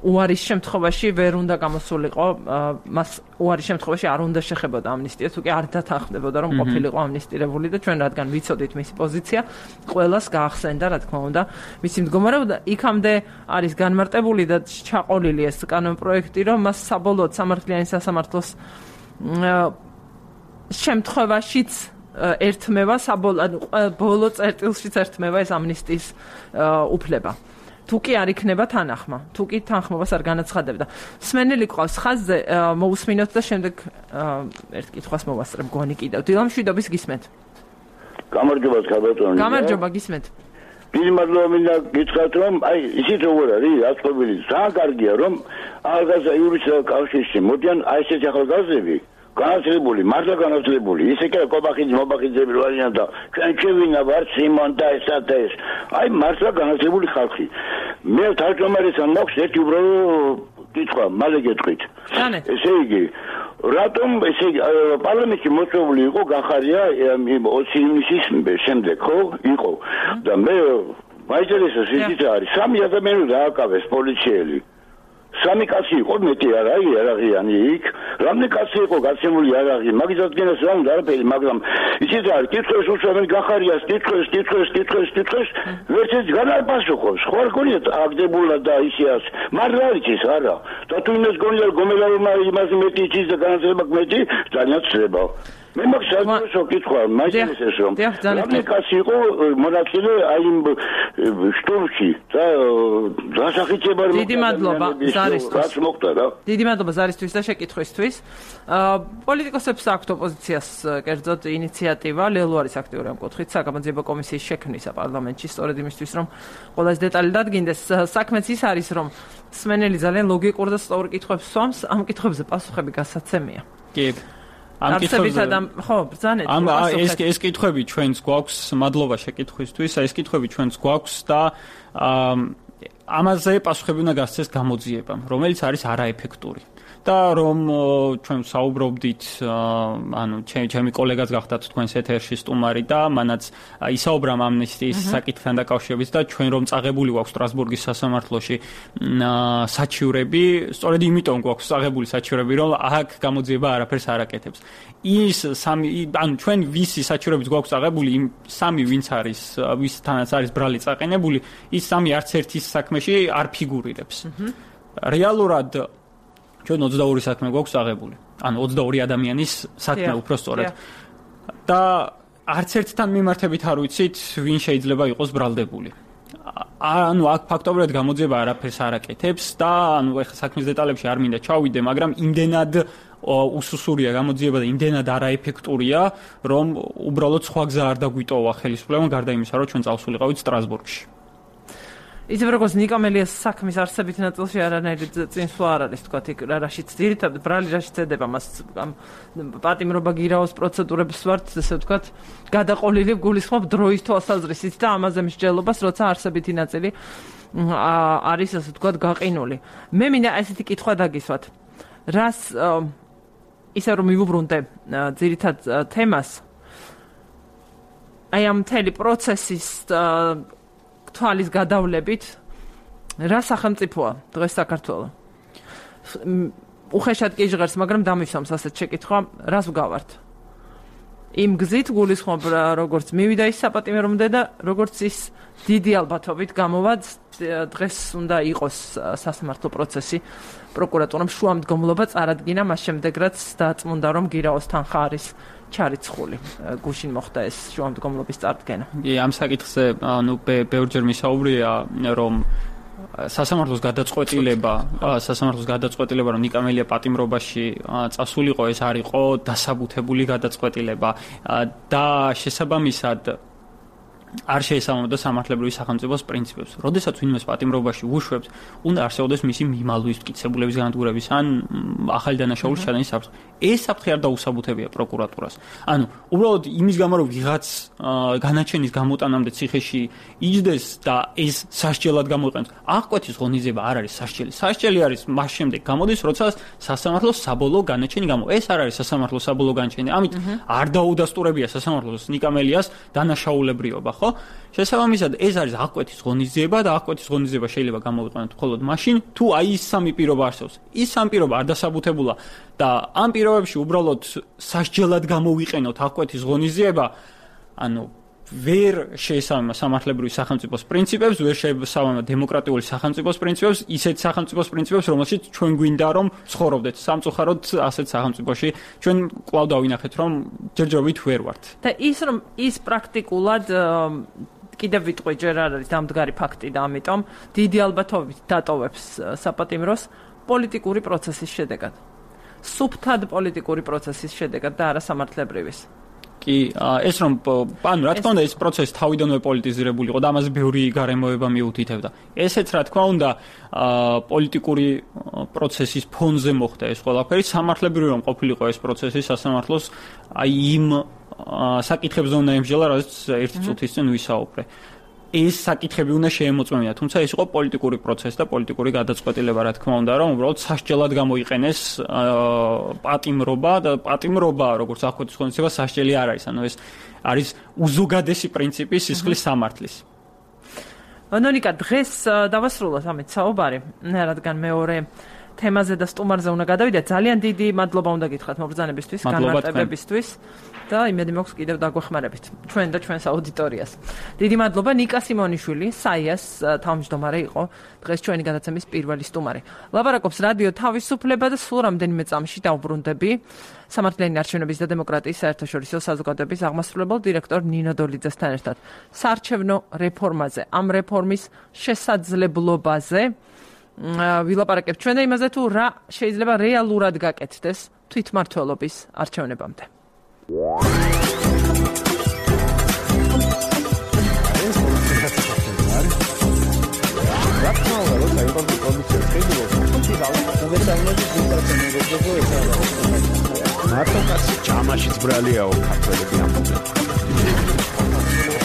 [SPEAKER 1] უარის შემთხვევაში ვერ უნდა გამოსულიყო, მას უარის შემთხვევაში არ უნდა შეხებოდა ამნისტია, თუ კი არ დათანხმდებოდა, რომ ყოფილიყო ამნისტირებული და ჩვენ რადგან ვიცოდით მისი პოზიცია, ყველას გაახსენდა, რა თქმა უნდა, მისი მდგომარეობა და იქამდე არის განმარტებული და ჩაყოლილი ეს კანონპროექტი, რომ მას საბოლოოდ სამართლიანი სასამართლოს შემთხვევაშიც ერთმევა საბოლოო ბოლო წერტილშიც ერთმევა ეს ამნისტიის უფლება. თუ კი არ იქნება თანახმა, თუ კი თანხმობას არ განაცხადებდა. სმენელი ყავს ხაზზე, მოусმინოთ და შემდეგ ერთ კითხვას მოვასწრებ გონი კიდევ. დილამშვიდობის გისმენთ.
[SPEAKER 5] გამარჯობა ხალბატონო.
[SPEAKER 1] გამარჯობა გისმენთ.
[SPEAKER 5] დიდი მადლობა მინდა გითხრათ, რომ აი ისიც როგორ არის, აწყობილი, ძალიან კარგია, რომ ახალგაზრდა იურისტთა კავშირში მოდიან აი ესეთი ახალგაზრდები განათლებული, მართლა განათლებული, ისე კი კობახიძე, მობახიძეები რო არიან და ჩვენ შევინა ვარ სიმონ და ესა და ეს. აი მართლა განათლებული ხალხი. მე თავმჯდომარესთან მაქვს ერთი უბრალო კითხვა, მალე გეტყვით. ესე იგი, რატომ ესე პარლამენტში მოწვეული იყო გახარია ოცი ივნისის შემდეგ, ხო? იყო. და მე მაინტერესებს ისიც არის, სამი ადამიანი დააკავეს პოლიციელი. სამი კაცი იყო მეტი არ არის არაღიანი იქ რამდენი კაცი იყო გაცემული არაღი მაგის ადგილას რა უნდა არაფერი მაგრამ ისიც არის კითხვის უშუალოდ გახარიას კითხვის კითხვის კითხვის კითხვის ვერცეც განარპასუხოს ხო არ გონია აგდებულად და ისეას მაგრამ არის ის არა და თუ იმას გონია გომელარმა იმას მეტი იცის და განათლება მეტი ძალიან ცდება მე მაგ საერთო კითხვა მაინტერესებს რომ რამდენი კაცი იყო მონაწილე აი იმ შტურმში და დასახიჩება რომ
[SPEAKER 1] დიდი მადლობა ზარისთვის
[SPEAKER 5] მოხდა რა
[SPEAKER 1] დიდი მადლობა ზარისთვის და შეკითხვისთვის პოლიტიკოსებს აქვთ ოპოზიციას კერძოდ ინიციატივა ლელუარის აქტიური ამ კუთხით საგამოძიებო კომისიის შექმნისა პარლამენტში სწორედ იმისთვის რომ ყველას დეტალი დადგინდეს საქმეც ის არის რომ სმენელი ძალიან ლოგიკურ და სწორ კითხვებს სვამს ამ კითხვებზე პასუხები გასაცემია
[SPEAKER 2] კი
[SPEAKER 1] ამ კითხვებზე ხო ბრძანეთ
[SPEAKER 2] ამ ეს ეს კითხვები ჩვენს გვაქვს მადლობა შეკითხვისთვის ეს კითხვები ჩვენს გვაქვს და ამაზე პასუხები უნდა გასცეს გამოძიებამ რომელიც არის არაეფექტური და რომ ჩვენ საუბრობდით ანუ ჩემი კოლეგაც გახდათ თქვენს ეთერში სტუმარი და მანაც ისაუბრა ამნისტიის საკითხთან დაკავშირებით და ჩვენ რომ წაღებული გვაქვს სტრასბურგის სასამართლოში საჩივრები სწორედ იმიტომ გვაქვს წაღებული საჩივრები რომ აქ გამოძიება არაფერს არ აკეთებს ის სამი ანუ ჩვენ ვისი საჩივრებით გვაქვს წაღებული იმ სამი ვინც არის ვისთანაც არის ბრალი წაყენებული ის სამი არც ერთის საქმეში არ ფიგურირებს რეალურად ჩვენ ოცდაორი საქმე გვაქვს აღებული. ანუ ოცდაორი ადამიანის საქმე უფრო სწორედ. და არც ერთთან მიმართებით არ ვიცით, ვინ შეიძლება იყოს ბრალდებული. ანუ აქ ფაქტობრივად გამოძიება არაფერს არ აკეთებს და ანუ ეხლა საქმის დეტალებში არ მინდა ჩავიდე, მაგრამ იმდენად უსუსურია გამოძიება და იმდენად არაეფექტურია, რომ უბრალოდ სხვა გზა არ დაგვიტოვა ხელისუფლებამ გარდა იმისა, რომ ჩვენ წავსულიყავით სტრასბურგში.
[SPEAKER 1] ისე როგორც ნიკამელიას საქმის არსებით ნაწილში არანაირი წინსვლა არ არის თქვა იქ რაშიც ძირითადად ბრალი რაშიც ედება მას პატიმრობა გირაოს პროცედურებს ვართ ესე ვთქვათ გადაყოლილი გულისხმობ დროის თვალსაზრისით და ამაზე მსჯელობას როცა არსებითი ნაწილი არის ასე ვთქვათ გაყინული მე მინდა ესეთი კითხვა დაგისვათ რას ისე რომ მივუბრუნდე ძირითად თემას აი ამ მთელი პროცესის თვალის გადავლებით რა სახელმწიფოა დღეს საქართველო უხეშად კი ჟღერს მაგრამ დამისვამს ასეთ შეკითხვა რას ვგავართ იმ გზით გულისხმობ როგორც მივიდა ის საპატიმრომდე და როგორც ის დიდი ალბათობით გამოვა დღეს უნდა იყოს სასამართლო პროცესი პროკურატურამ შუამდგომლობა წარადგინა მას შემდეგ რაც დაწმუნდა რომ გირაოს თანხა არის ჩარიცხული გუშინ მოხდა ეს შუამდგომლობის წარდგენა.
[SPEAKER 2] კი, ამ საკითხზე ანუ ბევრჯერ მისაუბრია რომ სასამართლოს გადაწყვეტილება, სასამართლოს გადაწყვეტილება რომ ნიკამელია პატიმრობაში წასულიყო ეს არ იყო დასაბუთებული გადაწყვეტილება და შესაბამისად არ შეესაბამებოდა სამართლებრივი სახელმწიფოს პრინციპებს. როდესაც ვინმეს პატიმრობაში უშვებს, უნდა არსებობდეს მისი მიმალვის მტკიცებულების განადგურების ან ახალი დანაშაულის ჩადენის საფრთხე. ეს საფრთხე არ დაუსაბუთებია პროკურატურას. ანუ უბრალოდ იმის გამო რომ ვიღაც განაჩენის გამოტანამდე ციხეში იჯდეს და ეს სასჯელად გამოიყენოს. აღკვეთის ღონისძიება არ არის სასჯელი. სასჯელი არის მას შემდეგ გამოდის, როცა სასამართლოს საბოლოო განაჩენი გამო. ეს არ არის სასამართლოს საბოლოო განაჩენი. ამით არ დაუდასტურებია სასამართლოს ნიკამელიას დანაშაულებრიობა. ხო? შესაბამისად ეს არის აღკვეთის ღონისძიება და აღკვეთის ღონისძიება შეიძლება გამოვიყენოთ მხოლოდ მაშინ, თუ აი ის სამი პირობა არსებობს. ის სამი პირობა არ დასაბუთებულა და ამ პირობებში უბრალოდ სასჯელად გამოვიყენოთ აღკვეთის ღონისძიება, ანუ ვერ შეესაბამა სამართლებრივი სახელმწიფოს პრინციპებს, ვერ შეესაბამა დემოკრატიული სახელმწიფოს პრინციპებს, ისეთ სახელმწიფოს პრინციპებს, რომელშიც ჩვენ გვინდა რომ ცხოვრობდეთ. სამწუხაროდ ასეთ სახელმწიფოში ჩვენ კვლავ დავინახეთ, რომ ჯერჯერობით ვერ ვართ.
[SPEAKER 1] და ის რომ ის პრაქტიკულად კიდევ ვიტყვი ჯერ არ არის დამდგარი ფაქტი და ამიტომ დიდი ალბათობით დატოვებს საპატიმროს პოლიტიკური პროცესის შედეგად. სუფთად პოლიტიკური პროცესის შედეგად და არა სამართლებრივის.
[SPEAKER 2] კი, ეს რომ ანუ რა თქმა უნდა ეს პროცესი თავიდანვე პოლიტიზირებული იყო და ამაზე ბევრი გარემოება მიუთითებდა. ესეც რა თქმა უნდა პოლიტიკური პროცესის ფონზე მოხდა ეს ყველაფერი. სამართლებრივი რომ ყოფილიყო ეს პროცესი სასამართლოს აი იმ საკითხებზე უნდა ემსჯელა, რაც ერთი წუთის წინ ვისაუბრე. ეს საკითხები უნდა შეემოწმებინა, თუმცა ეს იყო პოლიტიკური პროცესი და პოლიტიკური გადაწყვეტილება, რა თქმა უნდა, რომ უბრალოდ სასჯელად გამოიყენეს პატიმრობა და პატიმრობა, როგორც აღკვეთის ღონისძიება, სასჯელი არ არის, ანუ ეს არის უზოგადესი პრინციპი სისხლის სამართლის.
[SPEAKER 1] ნონიკა, დღეს დავასრულოთ ამით საუბარი, რადგან მეორე თემაზე და სტუმარზე უნდა გადავიდეთ. ძალიან დიდი მადლობა უნდა გითხრათ მობრძანებისთვის, განმარტებებისთვის. და იმედი მაქვს კიდევ დაგვეხმარებით ჩვენ და ჩვენს აუდიტორიას. დიდი მადლობა ნიკა სიმონიშვილი, საიას თავმჯდომარე იყო დღეს ჩვენი გადაცემის პირველი სტუმარი. ლაპარაკობს რადიო თავისუფლება და სულ რამდენიმე წამში დავბრუნდები სამართლიანი არჩევნების და დემოკრატიის საერთაშორისო საზოგადოების აღმასრულებელ დირექტორ ნინო დოლიძესთან ერთად საარჩევნო რეფორმაზე, ამ რეფორმის შესაძლებლობაზე ვილაპარაკებთ ჩვენ და იმაზე თუ რა შეიძლება რეალურად გაკეთდეს თვითმმართველობის არჩევნებამდე.
[SPEAKER 6] მარტო კაცი ჯამაშიც ბრალიაო ქართველები ამბობენ.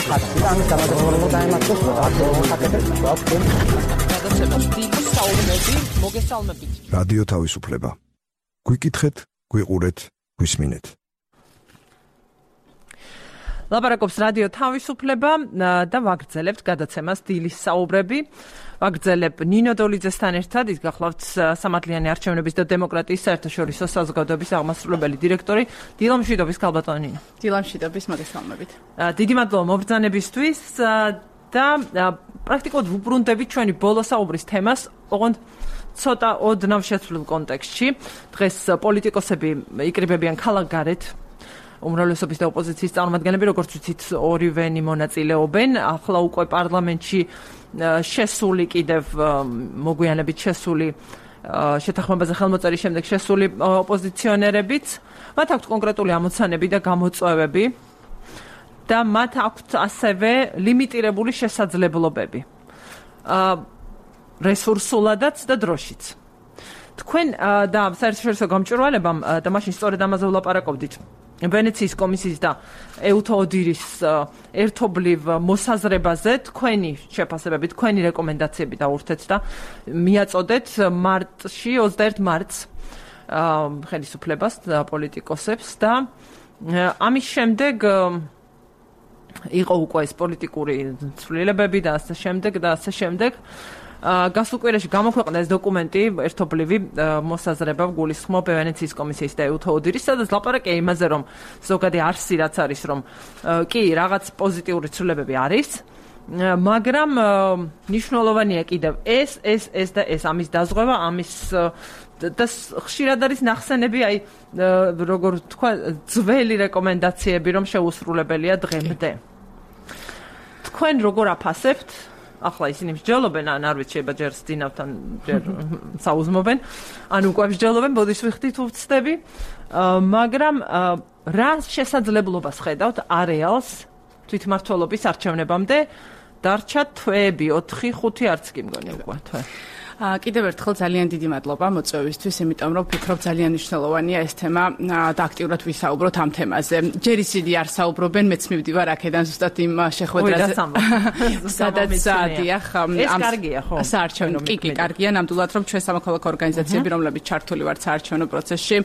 [SPEAKER 6] ხატიდან გამოდროულო დაემართოს რადიო ხატებს ვაფქენ. გადაცემას დიდი საუბნები მოგესალმებით.
[SPEAKER 7] რადიო თავისუფლება. გვიკითხეთ, გვიყურეთ, გვისმინეთ.
[SPEAKER 1] ლაპარაკობს რადიო თავისუფლება და ვაგრძელებთ გადაცემას დილის საუბრები. ვაგრძელებ ნინო დოლიძესთან ერთად, ის გახლავთ სამართლიანი არჩევნების და დემოკრატიის საერთაშორისო საზოგადოების აღმასრულებელი დირექტორი დილა მშვიდობის ქალბატონი ნინო.
[SPEAKER 8] დილა მშვიდობის მოგესალმებით.
[SPEAKER 1] დიდი მადლობა მობრძანებისთვის და პრაქტიკულად ვუბრუნდებით ჩვენი ბოლო საუბრის თემას, ოღონდ ცოტა ოდნავ შეცვლილ კონტექსტში. დღეს პოლიტიკოსები იკრიბებიან ქალაქგარეთ. უმრავლესობის და ოპოზიციის წარმომადგენლები, როგორც ვიცით, ორივენი მონაწილეობენ. ახლა უკვე პარლამენტში შესული კიდევ მოგვიანებით შესული შეთანხმებაზე ხელმოწერის შემდეგ შესული ოპოზიციონერებიც, მათ აქვთ კონკრეტული ამოცანები და გამოწვევები და მათ აქვთ ასევე ლიმიტირებული შესაძლებლობები. რესურსულადაც და დროშიც. თქვენ და საერთაშორისო გამჭვირვალებამ და მაშინ სწორედ ამაზე ვლაპარაკობდით. ვენეციის კომისიის და ეუთოდირის ერთობლივ მოსაზრებაზე თქვენი შეფასებები, თქვენი რეკომენდაციები დაურთეთ და მიაწოდეთ მარტში, ოცდაერთი მარტს ხელისუფლებას და პოლიტიკოსებს და ამის შემდეგ იყო უკვე ეს პოლიტიკური ცვლილებები და ასე შემდეგ და ასე შემდეგ. გასულ კვირაში გამოქვეყნდა ეს დოკუმენტი ერთობლივი მოსაზრება გულისხმობ ვენეციის კომისიის და ეუთოდირის, სადაც ლაპარაკია იმაზე, რომ ზოგადი არსი რაც არის, რომ კი რაღაც პოზიტიური ცვლილებები არის, მაგრამ მნიშვნელოვანია კიდევ ეს, ეს, ეს და ეს ამის დაზღვევა, ამის და ხშირად არის ნახსენები, აი როგორ თქვა, ძველი რეკომენდაციები, რომ შეუსრულებელია დღემდე. თქვენ როგორ აფასებთ? ახლა ისინი მსჯელობენ, ან არ ვიცი, შეიძლება ჯერ სძინავთან, ჯერ საუზმობენ, ან უკვე მსჯელობენ, ბოდიშ ვიხდით უცდები, მაგრამ რა შესაძლებლობას ხედავთ არეალს თვითმმართველობის არჩევნებამდე? დარჩა თვეები, ოთხი, ხუთი არც კი მგონი უკვე თვე.
[SPEAKER 8] კიდევ ერთხელ ძალიან დიდი მადლობა მოწვევისთვის, იმიტომ რომ ვფიქრობ ძალიან მნიშვნელოვანია ეს თემა და აქტიურად ვისაუბროთ ამ თემაზე. ჯერ ისინი არ საუბრობენ, მეც მივდივარ აქედან ზუსტად იმ შეხვედრაზე. სადაც დიახ,
[SPEAKER 1] ეს კარგია ხო?
[SPEAKER 8] საარჩევნო კი კი კარგია, ნამდვილად რომ ჩვენ სამოქალაქო ორგანიზაციები, რომლებიც ჩართული ვართ საარჩევნო პროცესში,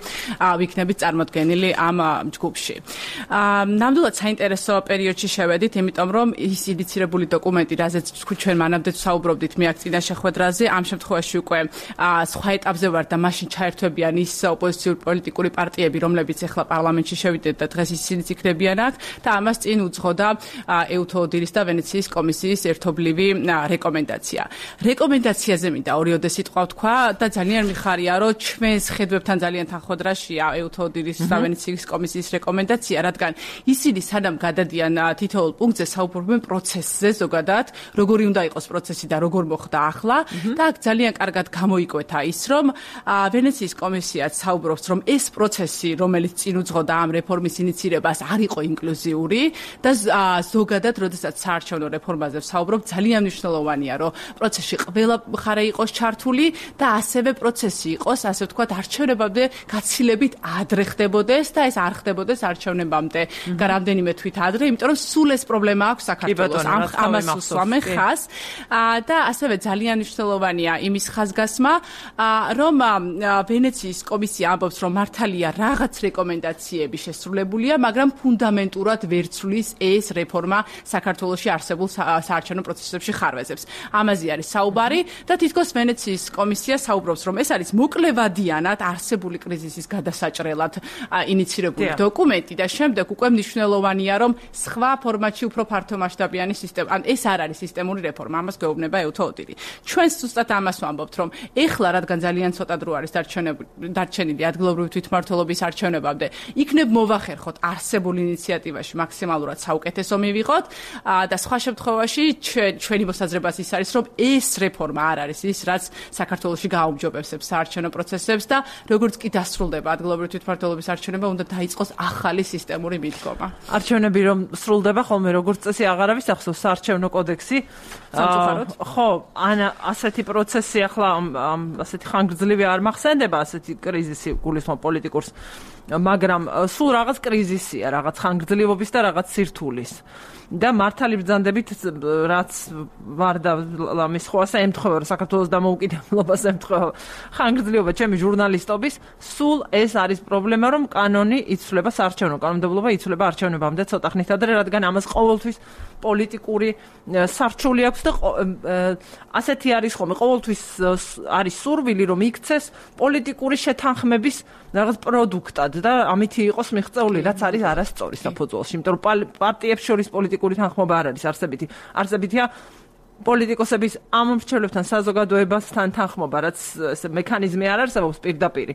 [SPEAKER 8] ვიქნებით წარმოდგენილი ამ ჯგუფში. ნამდვილად საინტერესო პერიოდში შევედით, იმიტომ რომ ის ინიცირებული დოკუმენტი, რაზეც ჩვენ მანამდე საუბრობდით მე აქ წინა შეხვედრაზე, ამ შემთხვევაში უკვე სხვა ეტაპზე ვარ და მაშინ ჩაერთვებიან ის ოპოზიციური პოლიტიკური პარტიები, რომლებიც ახლა პარლამენტში შევიდეთ და დღეს ისინიც იქნებიან აქ და ამას წინ უძღოდა ეუთოდირის და ვენეციის კომისიის ერთობლივი რეკომენდაცია. რეკომენდაციაზე მინდა ორიოდე სიტყვა ვთქვა და ძალიან მიხარია, რომ ჩვენს ხედვებთან ძალიან თანხმდრაშია ეუთოდირის და ვენეციის კომისიის რეკომენდაცია, რადგან ისინი სანამ გადადიან თითოეულ პუნქტზე საუბრობენ პროცესზე ზოგადად, როგორი უნდა იყოს პროცესი და როგორ მოხდა ახლა და აქ ძალიან კარგად გამოიკვეთა ის, რომ ვენეციის კომისიაც საუბრობს, რომ ეს პროცესი, რომელიც წინ უძღოდა ამ რეფორმის ინიცირებას, არ იყო ინკლუზიური და ზოგადად, როდესაც საარჩევნო რეფორმაზე ვსაუბრობ, ძალიან მნიშვნელოვანია, რომ პროცესში ყველა მხარე იყოს ჩართული და ასევე პროცესი იყოს, ასე ვთქვათ, არჩევნებამდე გაცილებით ადრე ხდებოდეს და ეს არ ხდებოდეს არჩევნებამდე. რამდენიმე თვით ადრე, იმიტომ რომ სულ ეს პრობლემა აქვს საქართველოს. ამას უსვამე ხას და ასევე ძალიან მნიშვნელოვანია იმის ხაზგასმა, რომ ვენეციის კომისია ამბობს, რომ მართალია რაღაც რეკომენდაციები შესრულებულია, მაგრამ ფუნდამენტურად ვერ ცვლის ეს რეფორმა საქართველოში არსებულ საარჩევნო პროცესებში ხარვეზებს. ამაზე არის საუბარი და თითქოს ვენეციის კომისია საუბრობს, რომ ეს არის მოკლევადიანად არსებული კრიზისის გადასაჭრელად ინიცირებული დოკუმენტი და შემდეგ უკვე მნიშვნელოვანია, რომ სხვა ფორმატში უფრო ფართომასშტაბიანი სისტემა, ან ეს არ არის სისტემური რეფორმა, ამას გვეუბნება ეუთოდირი. ჩვენს ზუსტად ამას ვამბობთ, რომ ეხლა რადგან ძალიან ცოტა დრო არის დარჩენილი ადგილობრივი თვითმმართველობის არჩევნებამდე, იქნებ მოვახერხოთ არსებულ ინიციატივაში მაქსიმალურად საუკეთესო მივიღოთ და სხვა შემთხვევაში ჩვენი მოსაზრებაც ის არის, რომ ეს რეფორმა არ არის ის, რაც საქართველოში გააუმჯობესებს საარჩევნო პროცესებს და როგორც კი დასრულდება ადგილობრივი თვითმმართველობის არჩევნება, უნდა დაიწყოს ახალი სისტემური მიდგომა.
[SPEAKER 1] არჩევნები რომ სრულდება, ხოლმე როგორც წესი აღარ არის ახსოვს საარჩევნო კოდექსი. ხო, ან ასეთი პროცესი ახლა ასეთი ხანგრძლივი არ მახსენდება, ასეთი კრიზისი გულისხმობ პოლიტიკურს, მაგრამ სულ რაღაც კრიზისია, რაღაც ხანგრძლივობის და რაღაც სირთულის. და მართალი ბრძანდებით, რაც ვარ და ამის ხვასა ემთხვევა, საქართველოს დამოუკიდებლობას ემთხვევა ხანგრძლივობა ჩემი ჟურნალისტობის, სულ ეს არის პრობლემა, რომ კანონი იცვლება, საარჩევნო კანონმდებლობა იცვლება არჩევნებამდე ცოტა ხნით ადრე, რადგან ამას ყოველთვის პოლიტიკური სარჩული აქვს და ასეთი არის ხოლმე, ყოველთვის არის სურვილი, რომ იქცეს პოლიტიკური შეთანხმების რაღაც პროდუქტად და ამითი იყოს მიღწეული, რაც არის არასწორი საფუძველში, იმიტომ რომ პარტიებს შორის პოლიტიკური თანხმობა არ არის არსებითი. არსებითია პოლიტიკოსების ამ მრჩევლებთან საზოგადოებასთან თანხმობა, რაც ეს მექანიზმი არ არსებობს პირდაპირ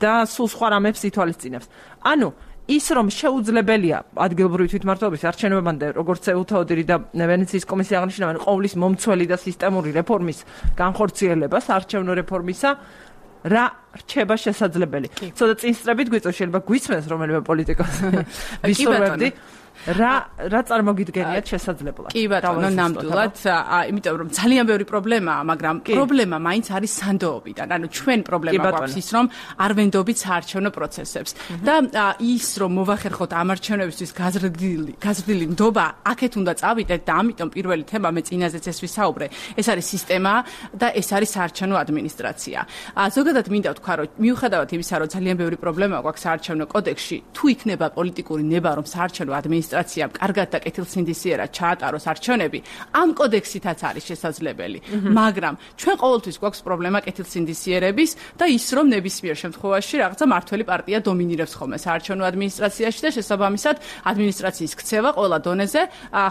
[SPEAKER 1] და სულ სხვა რამებს ითვალისწინებს. ანუ ის რომ შეუძლებელია ადგილობრივი თვითმმართველობის არჩევნებამდე, როგორც ეუთოდირი და ვენეციის კომისია აღნიშნავენ, ყოვლის მომცველი და სისტემური რეფორმის განხორციელება, საარჩევნო რეფორმისა, რა რჩება შესაძლებელი. ცოტა წინსწრებით გვიწევს, შეიძლება გვისმენს რომელიმე პოლიტიკოსი. ვისურვებდი. რა რა წარმოგიდგენიათ შესაძლებლად?
[SPEAKER 8] კი ბატონო, ნამდვილად, იმიტომ რომ ძალიან ბევრი პრობლემაა, მაგრამ პრობლემა მაინც არის სანდოობიდან. ანუ ჩვენ პრობლემა გვაქვს ის, რომ არ ვენდობით საარჩევნო პროცესებს და ის რომ მოვახერხოთ ამ არჩევნებისთვის გაზრდილი გაზრდილი ნდობა აქეთ უნდა წავიდეთ და ამიტომ პირველი თემა მე წინაზეც ეს ვისაუბრე, ეს არის სისტემა და ეს არის საარჩევნო ადმინისტრაცია. ზოგადად მინდა ვთქვა, რომ მიუხედავად იმისა, რომ ძალიან ბევრი პრობლემა გვაქვს საარჩევნო კოდექსში, თუ იქნება პოლიტიკური ნება, რომ საარჩევნო ადმინისტრაციამ კარგად და კეთილსინდისიერად ჩაატაროს არჩევნები, ამ კოდექსითაც არის შესაძლებელი. მაგრამ ჩვენ ყოველთვის გვაქვს პრობლემა კეთილსინდისიერების და ის, რომ ნებისმიერ შემთხვევაში რაღაცა მართველი პარტია დომინირებს ხოლმე საარჩევნო ადმინისტრაციაში და შესაბამისად ადმინისტრაციის ქცევა ყველა დონეზე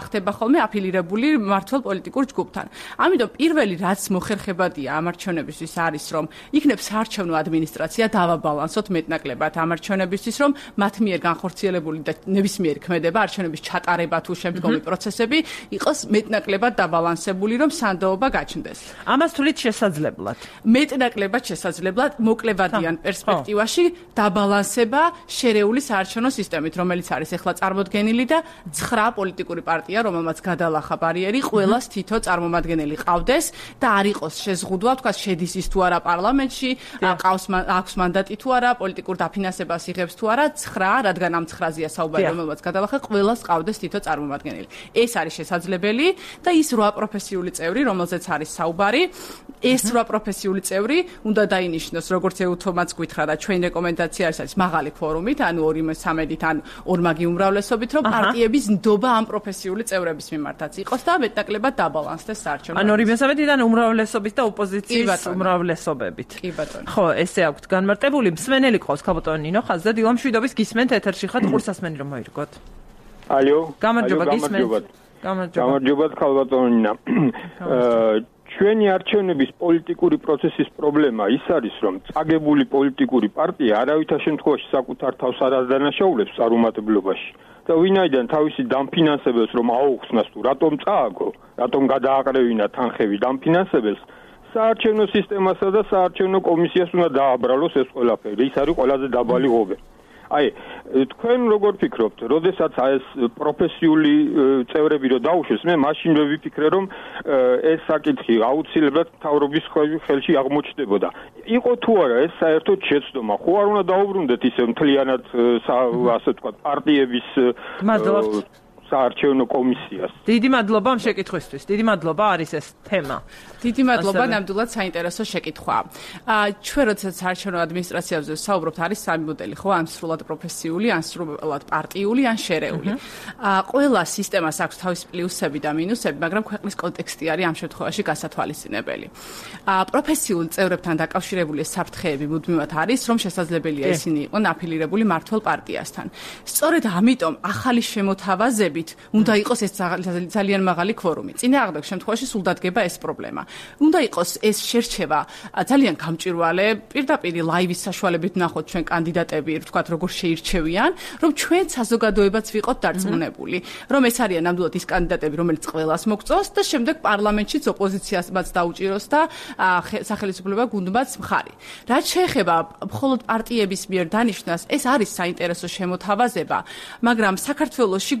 [SPEAKER 8] ხდება ხოლმე აფილირებული მმართველ პოლიტიკურ ჯგუფთან. ამიტომ პირველი რაც მოხერხებადია ამ არჩევნებისთვის არის, რომ იქნებ საარჩევნო ადმინისტრაცია დავაბალანსოთ მეტნაკლებად ამ არჩევნებისთვის, რომ მათ მიერ განხორციელებული და ნებისმიერი ქმედება არჩევნების ჩატარება თუ შემდგომი პროცესები იყოს მეტნაკლებად დაბალანსებული, რომ სანდოობა გაჩნდეს.
[SPEAKER 1] ამას თვლით შესაძლებლად.
[SPEAKER 8] მეტნაკლებად შესაძლებლად მოკლებადიან პერსპექტივაში დაბალანსება შერეული საარჩევნო სისტემით, რომელიც არის ახლა წარმოდგენილი და ცხრა პოლიტიკური პარტია, რომელმაც გადალახა ბარიერი, ყველას თითო წარმომადგენელი ყავდეს და არ იყოს შეზღუდვა, თქვა შედის ის თუ არა პარლამენტში, ყავს აქვს მანდატი თუ არა, პოლიტიკურ დაფინანსებას იღებს თუ არა, ცხრა, რადგან ამ ცხრაზეა საუბარი, რომელმაც გადალახა, ყველას ყავდეს თითო წარმომადგენელი. ეს არის შესაძლებელი და ის რვა პროფესიული წევრი, რომელზეც არის საუბარი, ეს რვა პროფესიული წევრი უნდა დაინიშნოს, როგორც ეუთომაც გითხრა და ჩვენ რეკომენდაცია არის მაღალი ფორუმით, ანუ ორი მესამედით ან ორმაგი უმრავლესობით, რომ პარტიების ნდობა ამ პროფესიული წევრების მიმართაც იყოს და მეტნაკლებად დაბალანსდეს საარჩევნო.
[SPEAKER 1] ანუ ორი მესამედიდან უმრავლესობით და ოპოზიციის უმრავლესობებით.
[SPEAKER 8] კი ბატონო.
[SPEAKER 1] ხო, ესე აქვთ განმარტებული. მსმენელი ყავს ქალბატონი ნინო ხაზზე, დილამ შვიდობის გისმენთ ეთერში ხართ, ყურსასმენი რომ მოირგოთ.
[SPEAKER 9] ალო.
[SPEAKER 1] გამარჯობა, გისმენთ.
[SPEAKER 9] გამარჯობა. გამარჯობა ქალბატონი ნინო. ჩვენი არჩევნების პოლიტიკური პროცესის პრობლემა ის არის, რომ წაგებული პოლიტიკური პარტია არავითარ შემთხვევაში საკუთარ თავს არ ადანაშაულებს წარუმატებლობაში და ვინაიდან თავისი დამფინანსებელს რომ აუხსნას თუ რატომ წააგო, რატომ გადააყრევინა თანხები დამფინანსებელს, საარჩევნო სისტემასა და საარჩევნო კომისიას უნდა დააბრალოს ეს ყველაფერი. ის არის ყველაზე დაბალი ღობე. აი, თქვენ როგორ ფიქრობთ, როდესაც ეს პროფესიული წევრები რო დაუშვეს, მე მაშინ ვიფიქრე, რომ ეს საკითხი აუცილებლად მთავრობის ხელში აღმოჩნდებოდა. იყო თუ არა ეს საერთოდ შეცდომა, ხო არ უნდა დაუბრუნდეთ ისე მთლიანად ასე ვთქვათ, პარტიების საარჩევნო კომისიას.
[SPEAKER 1] დიდი მადლობა ამ შეკითხვისთვის. დიდი მადლობა არის ეს თემა.
[SPEAKER 8] დიდი მადლობა, ნამდვილად საინტერესო შეკითხვაა. ჩვენ როდესაც საარჩევნო ადმინისტრაციაზე ვსაუბრობთ, არის სამი მოდელი, ხო, ან სრულად პროფესიული, ან სრულად პარტიული, ან შერეული. ყველა სისტემას აქვს თავისი პლუსები და მინუსები, მაგრამ ქვეყნის კონტექსტი არის ამ შემთხვევაში გასათვალისწინებელი. პროფესიულ წევრებთან დაკავშირებული საფრთხეები მუდმივად არის, რომ შესაძლებელია ისინი იყვნენ აფილირებული მმართველ პარტიასთან. სწორედ ამიტომ ახალი შემოთავაზება უნდა იყოს ეს ძალიან მაღალი kvორუმი. წინააღმდეგ შემთხვევაში სულ დადგება ეს პრობლემა. უნდა იყოს ეს შერჩევა ძალიან გამჭვირვალე, პირდაპირ ლაივის საშუალებით ვნახოთ ჩვენ კანდიდატები, ვთქვათ, როგორ შეირჩევიან, რომ ჩვენ საზოგადოებაც ვიყოთ დარწმუნებული, რომ ეს არიან ნამდვილად ის კანდიდატები, რომელიც ყველას მოგწონს და შემდეგ პარლამენტშიც ოპოზიციასმაც დაუჭიროს და სახელმწიფო გუნდმაც მხარი. რაც შეეხება მხოლოდ პარტიების მიერ დანიშნას, ეს არის საინტერესო შემოთავაზება, მაგრამ საქართველოში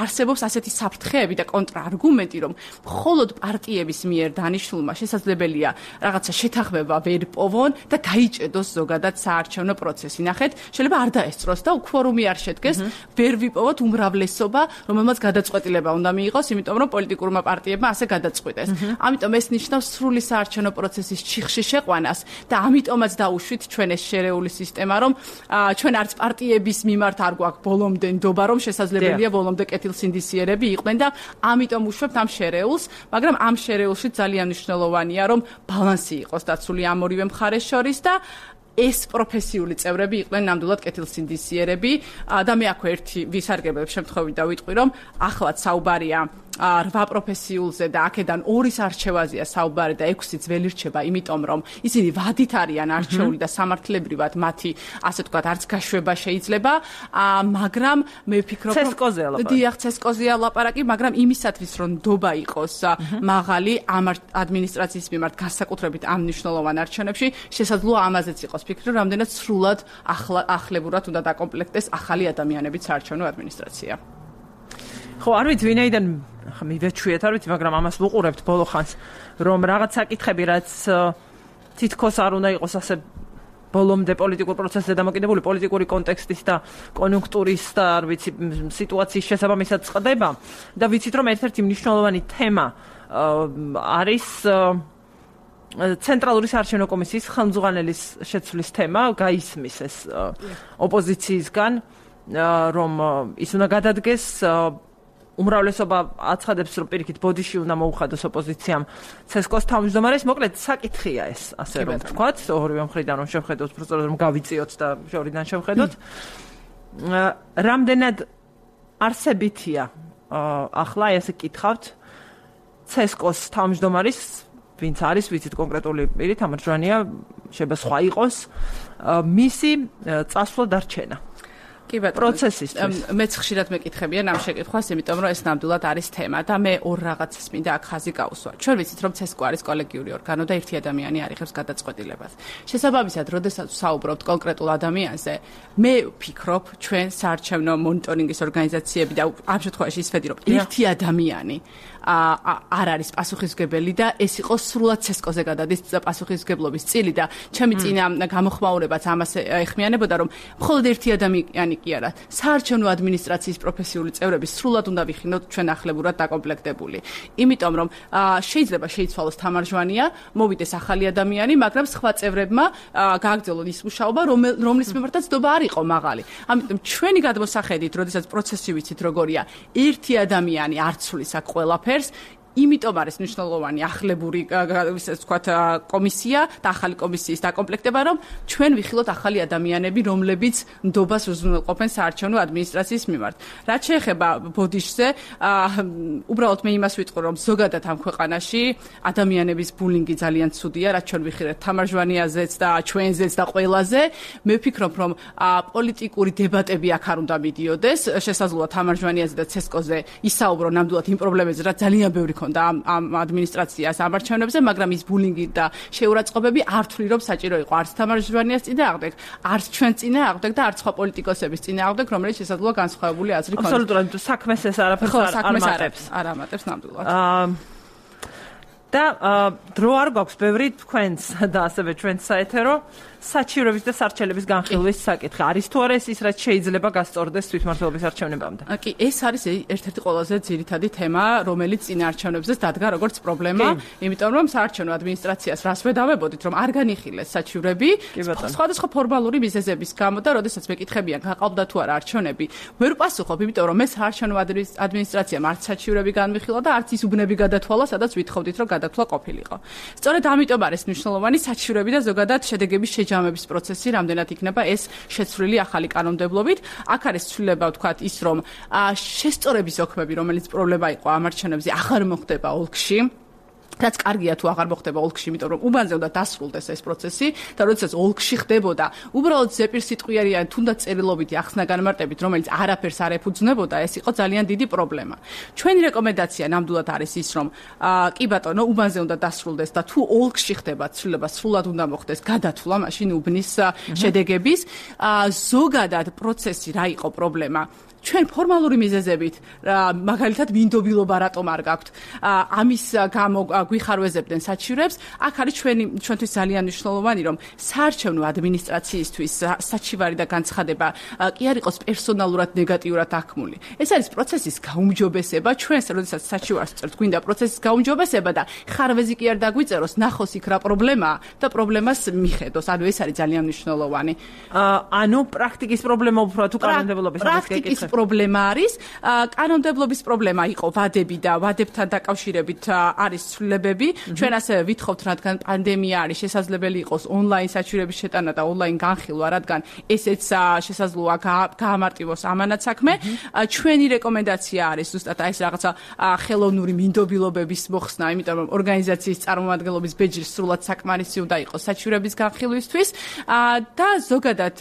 [SPEAKER 8] არსებობს ასეთი საფრთხეები და კონტრარგუმენტი, რომ მხოლოდ პარტიების მიერ დანიშნულმა შესაძლებელია რაღაცა შეთანხმება ვერ პოვონ და გაიჭედოს ზოგადად საარჩევნო პროცესი. ნახეთ, შეიძლება არ დაესწროს და უქვორუმი არ შედგეს, ვერ ვიპოვოთ უმრავლესობა, რომელმაც გადაწყვეტილება უნდა მიიღოს, იმიტომ რომ პოლიტიკურმა პარტიებმა ასე გადაწყვიტეს. ამიტომ ეს ნიშნავს სრული საარჩევნო პროცესის ჩიხში შეყვანას და ამიტომაც დაუშვით ჩვენ ეს შერეული სისტემა, რომ ჩვენ არც პარტიების მიმართ არ გვაქვს ბოლომდე ნდობა, რომ შესაძლებელია ბოლომდე კეთილსინდისიერები იყვნენ და ამიტომ უშვებთ ამ შერეულს, მაგრამ ამ შერეულში ძალიან მნიშვნელოვანია, რომ ბალანსი იყოს დაცული ამ ორივე მხარეს შორის და ეს პროფესიული წევრები იყვნენ ნამდვილად კეთილსინდისიერები და მე აქვე ერთი ვისარგებლებ შემთხვევით და ვიტყვი, რომ ახლაც საუბარია რვა პროფესიულზე და აქედან ორის არჩევაზეა საუბარი და ექვსიც ვერ ირჩება, იმიტომ რომ ისინი ვადით არიან არჩეული და სამართლებრივად მათი, ასე ვთქვათ, არც გაშვება შეიძლება, მაგრამ მე ვფიქრობ, რომ
[SPEAKER 1] ცესკოზეა ლაპარაკი.
[SPEAKER 8] დიახ, ცესკოზეა ლაპარაკი, მაგრამ იმისათვის, რომ ნდობა იყოს მაღალი ამ ადმინისტრაციის მიმართ განსაკუთრებით ამ მნიშვნელოვან არჩევნებში, შესაძლოა ამაზეც იყოს ფიქრი, რომ რამდენად სრულად ახლებურად უნდა დაკომპლექტდეს ახალი ადამიანებით საარჩევნო ადმინისტრაცია.
[SPEAKER 1] ხო, არ ვიცი ვინაიდან ხა მივეჩვიეთ, არ ვიცი, მაგრამ ამას ვუყურებთ ბოლო ხანს, რომ რაღაც საკითხები, რაც თითქოს არ უნდა იყოს ასე ბოლომდე პოლიტიკურ პროცესზე დამოკიდებული, პოლიტიკური კონტექსტის და კონიუნქტურის და არ ვიცი, სიტუაციის შესაბამისად წყდება და ვიცით, რომ ერთ-ერთი მნიშვნელოვანი თემა არის ცენტრალური საარჩევნო კომისიის ხელმძღვანელის შეცვლის თემა, გაისმის ეს ოპოზიციისგან, რომ ის უნდა გადადგეს, უმრავლესობა აცხადებს, რომ პირიქით ბოდიში უნდა მოუხადოს ოპოზიციამ ცესკოს თავმჯდომარეს, მოკლედ საკითხია ეს, ასე რომ ვთქვათ, ორივე მხრიდან რომ შევხედოთ, უბრალოდ რომ გავიწიოთ და შორიდან შევხედოთ. რამდენად არსებითია ახლა ესე კითხავთ ცესკოს თავმჯდომარის, ვინც არის, ვიცით კონკრეტული პირი, თამარჯვანია, შეიძლება სხვა იყოს, მისი წასვლა დარჩენა. კი ბატონო, პროცესისთვის. მეც ხშირად მეკითხებიან ამ შეკითხვას, იმიტომ რომ ეს ნამდვილად არის თემა და მე ორ რაღაცას მინდა აქ ხაზი გავუსვა. ჩვენ ვიცით, რომ ცესკო არის კოლეგიური ორგანო და ერთი ადამიანი არიღებს გადაწყვეტილებას. შესაბამისად, როდესაც საუბრობთ კონკრეტულ ადამიანზე, მე ვფიქრობ, ჩვენ საარჩევნო მონიტორინგის ორგანიზაციები და ამ შემთხვევაში ის ვედი, რომ ერთი ადამიანი არ არის პასუხისმგებელი და ეს იყო სრულად ცესკოზე გადადის პასუხისმგებლობის წილი და ჩემი წინა გამოხმაურებაც ამას ეხმიანებოდა, რომ მხოლოდ ერთი ადამიანი კი არა, საარჩევნო ადმინისტრაციის პროფესიული წევრები სრულად უნდა ვიხინოთ ჩვენ ახლებურად დაკომპლექტებული. იმიტომ რომ შეიძლება შეიცვალოს თამარჯვანია, მოვიდეს ახალი ადამიანი, მაგრამ სხვა წევრებმა გააგრძელონ ის მუშაობა, რომლის მიმართაც დობა არ იყო მაღალი. ამიტომ ჩვენი გადმოსახედით, როდესაც პროცესი ვიცით როგორია, ერთი ადამიანი არ ცვლის აქ ყველაფერს, იმიტომ არის მნიშვნელოვანი ახლებური ისე ვთქვათ კომისია და ახალი კომისიის დაკომპლექტება, რომ ჩვენ ვიხილოთ ახალი ადამიანები, რომლებიც ნდობას უზრუნველყოფენ საარჩევნო ადმინისტრაციის მიმართ. რაც შეეხება ბოდიშზე, უბრალოდ მე იმას ვიტყვი, რომ ზოგადად ამ ქვეყანაში ადამიანების ბულინგი ძალიან ცუდია, რაც ჩვენ ვიხილეთ თამარჯვანიაზეც და ჩვენზეც და ყველაზე. მე ვფიქრობ, რომ პოლიტიკური დებატები აქ არ უნდა მიდიოდეს, შესაძლოა თამარჯვანიაზე და ცესკოზე ისაუბრო ნამდვილად იმ პრობლემებზე, რაც ძალიან ბევრი და ამ ადმინისტრაციას ამარჩევნებზე, მაგრამ ის ბულინგი და შეურაცხყოფები არ თვლი, რომ საჭირო იყო არც თამარჯვანიას წინააღმდეგ, არც ჩვენ წინააღმდეგ და არც სხვა პოლიტიკოსების წინააღმდეგ, რომელიც შესაძლოა განსხვავებული აზრი ქონდეს. აბსოლუტურად საქმეს ეს არაფერს არ ამატებს. არ ამატებს ნამდვილად. და დრო არ გვაქვს ბევრი თქვენს და ასევე ჩვენს საეთერო საჩივრების და სარჩელების განხილვის საკითხი. არის თუ არა ეს ის, რაც შეიძლება გასწორდეს თვითმმართველობის არჩევნებამდე? კი, ეს არის ერთ-ერთი ყველაზე ძირითადი თემა, რომელიც წინაარჩევნებზეც დადგა როგორც პრობლემა, იმიტომ რომ საარჩევნო ადმინისტრაციას რას ვედავებოდით, რომ არ განიხილეს საჩივრები, სხვადასხვა ფორმალური მიზეზების გამო და როდესაც მეკითხებიან, გაყავდა თუ არა არჩევნები, ვერ ვპასუხობ, იმიტომ რომ მე საარჩევნო ადმინისტრაციამ არც საჩივრები განვიხილა და არც ის უბნები გადათვალა, სადაც ვითხოვდით, რომ გადათვლა ყოფილიყო. სწორედ ამიტომ არის მნიშვნელოვანი საჩივრები და ზოგადად შედეგების ჯამების პროცესი რამდენად იქნება ეს შეცვლილი ახალი კანონმდებლობით. აქ არის ცვლილება, ვთქვათ, ის რომ შესწორების ოქმები, რომელიც პრობლემა იყო ამ არჩევნებზე, აღარ მოხდება ოლქში. რაც კარგია თუ აღარ მოხდება ოლქში, იმიტომ რომ უბანზე უნდა დასრულდეს ეს პროცესი და როდესაც ოლქში ხდებოდა, უბრალოდ ზეპირსიტყვიერი ან თუნდაც წერილობითი ახსნა განმარტებით, რომელიც არაფერს არ ეფუძნებოდა, ეს იყო ძალიან დიდი პრობლემა. ჩვენი რეკომენდაცია ნამდვილად არის ის, რომ კი ბატონო, უბანზე უნდა დასრულდეს და თუ ოლქში ხდება ცვლილება, სრულად უნდა მოხდეს გადათვლა მაშინ უბნის შედეგების. ზოგადად პროცესი რა იყო პრობლემა? ჩვენ ფორმალური მიზეზებით, მაგალითად მინდობილობა რატომ არ გაქვთ, ამის გამო გვიხარვეზებდნენ საჩივრებს, აქ არის ჩვენი ჩვენთვის ძალიან მნიშვნელოვანი, რომ საარჩევნო ადმინისტრაციისთვის საჩივარი და განცხადება კი არ იყოს პერსონალურად ნეგატიურად აღქმული. ეს არის პროცესის გაუმჯობესება, ჩვენს როდესაც საჩივარს წერთ, გვინდა პროცესის გაუმჯობესება და ხარვეზი კი არ დაგვიწეროს, ნახოს იქ რა პრობლემაა და პრობლემას მიხედოს. ანუ ეს არის ძალიან მნიშვნელოვანი. ანუ პრაქტიკის პრობლემა უფრო თუ კანონმდებლობის პრაქტიკის პრობლემა არის, კანონმდებლობის პრობლემა იყო ვადები და ვადებთან დაკავშირებით არის ცვლილებები. ჩვენ ასევე ვითხოვთ, რადგან პანდემია არის, შესაძლებელი იყოს ონლაინ საჩივრების შეტანა და ონლაინ განხილვა, რადგან ესეც შესაძლოა გაამარტივოს ამანაც საქმე. ჩვენი რეკომენდაცია არის ზუსტად ეს რაღაცა ხელოვნური მინდობილობების მოხსნა, იმიტომ რომ ორგანიზაციის წარმომადგენლობის ბეჯი სრულად საკმარისი უნდა იყოს საჩივრების განხილვისთვის და ზოგადად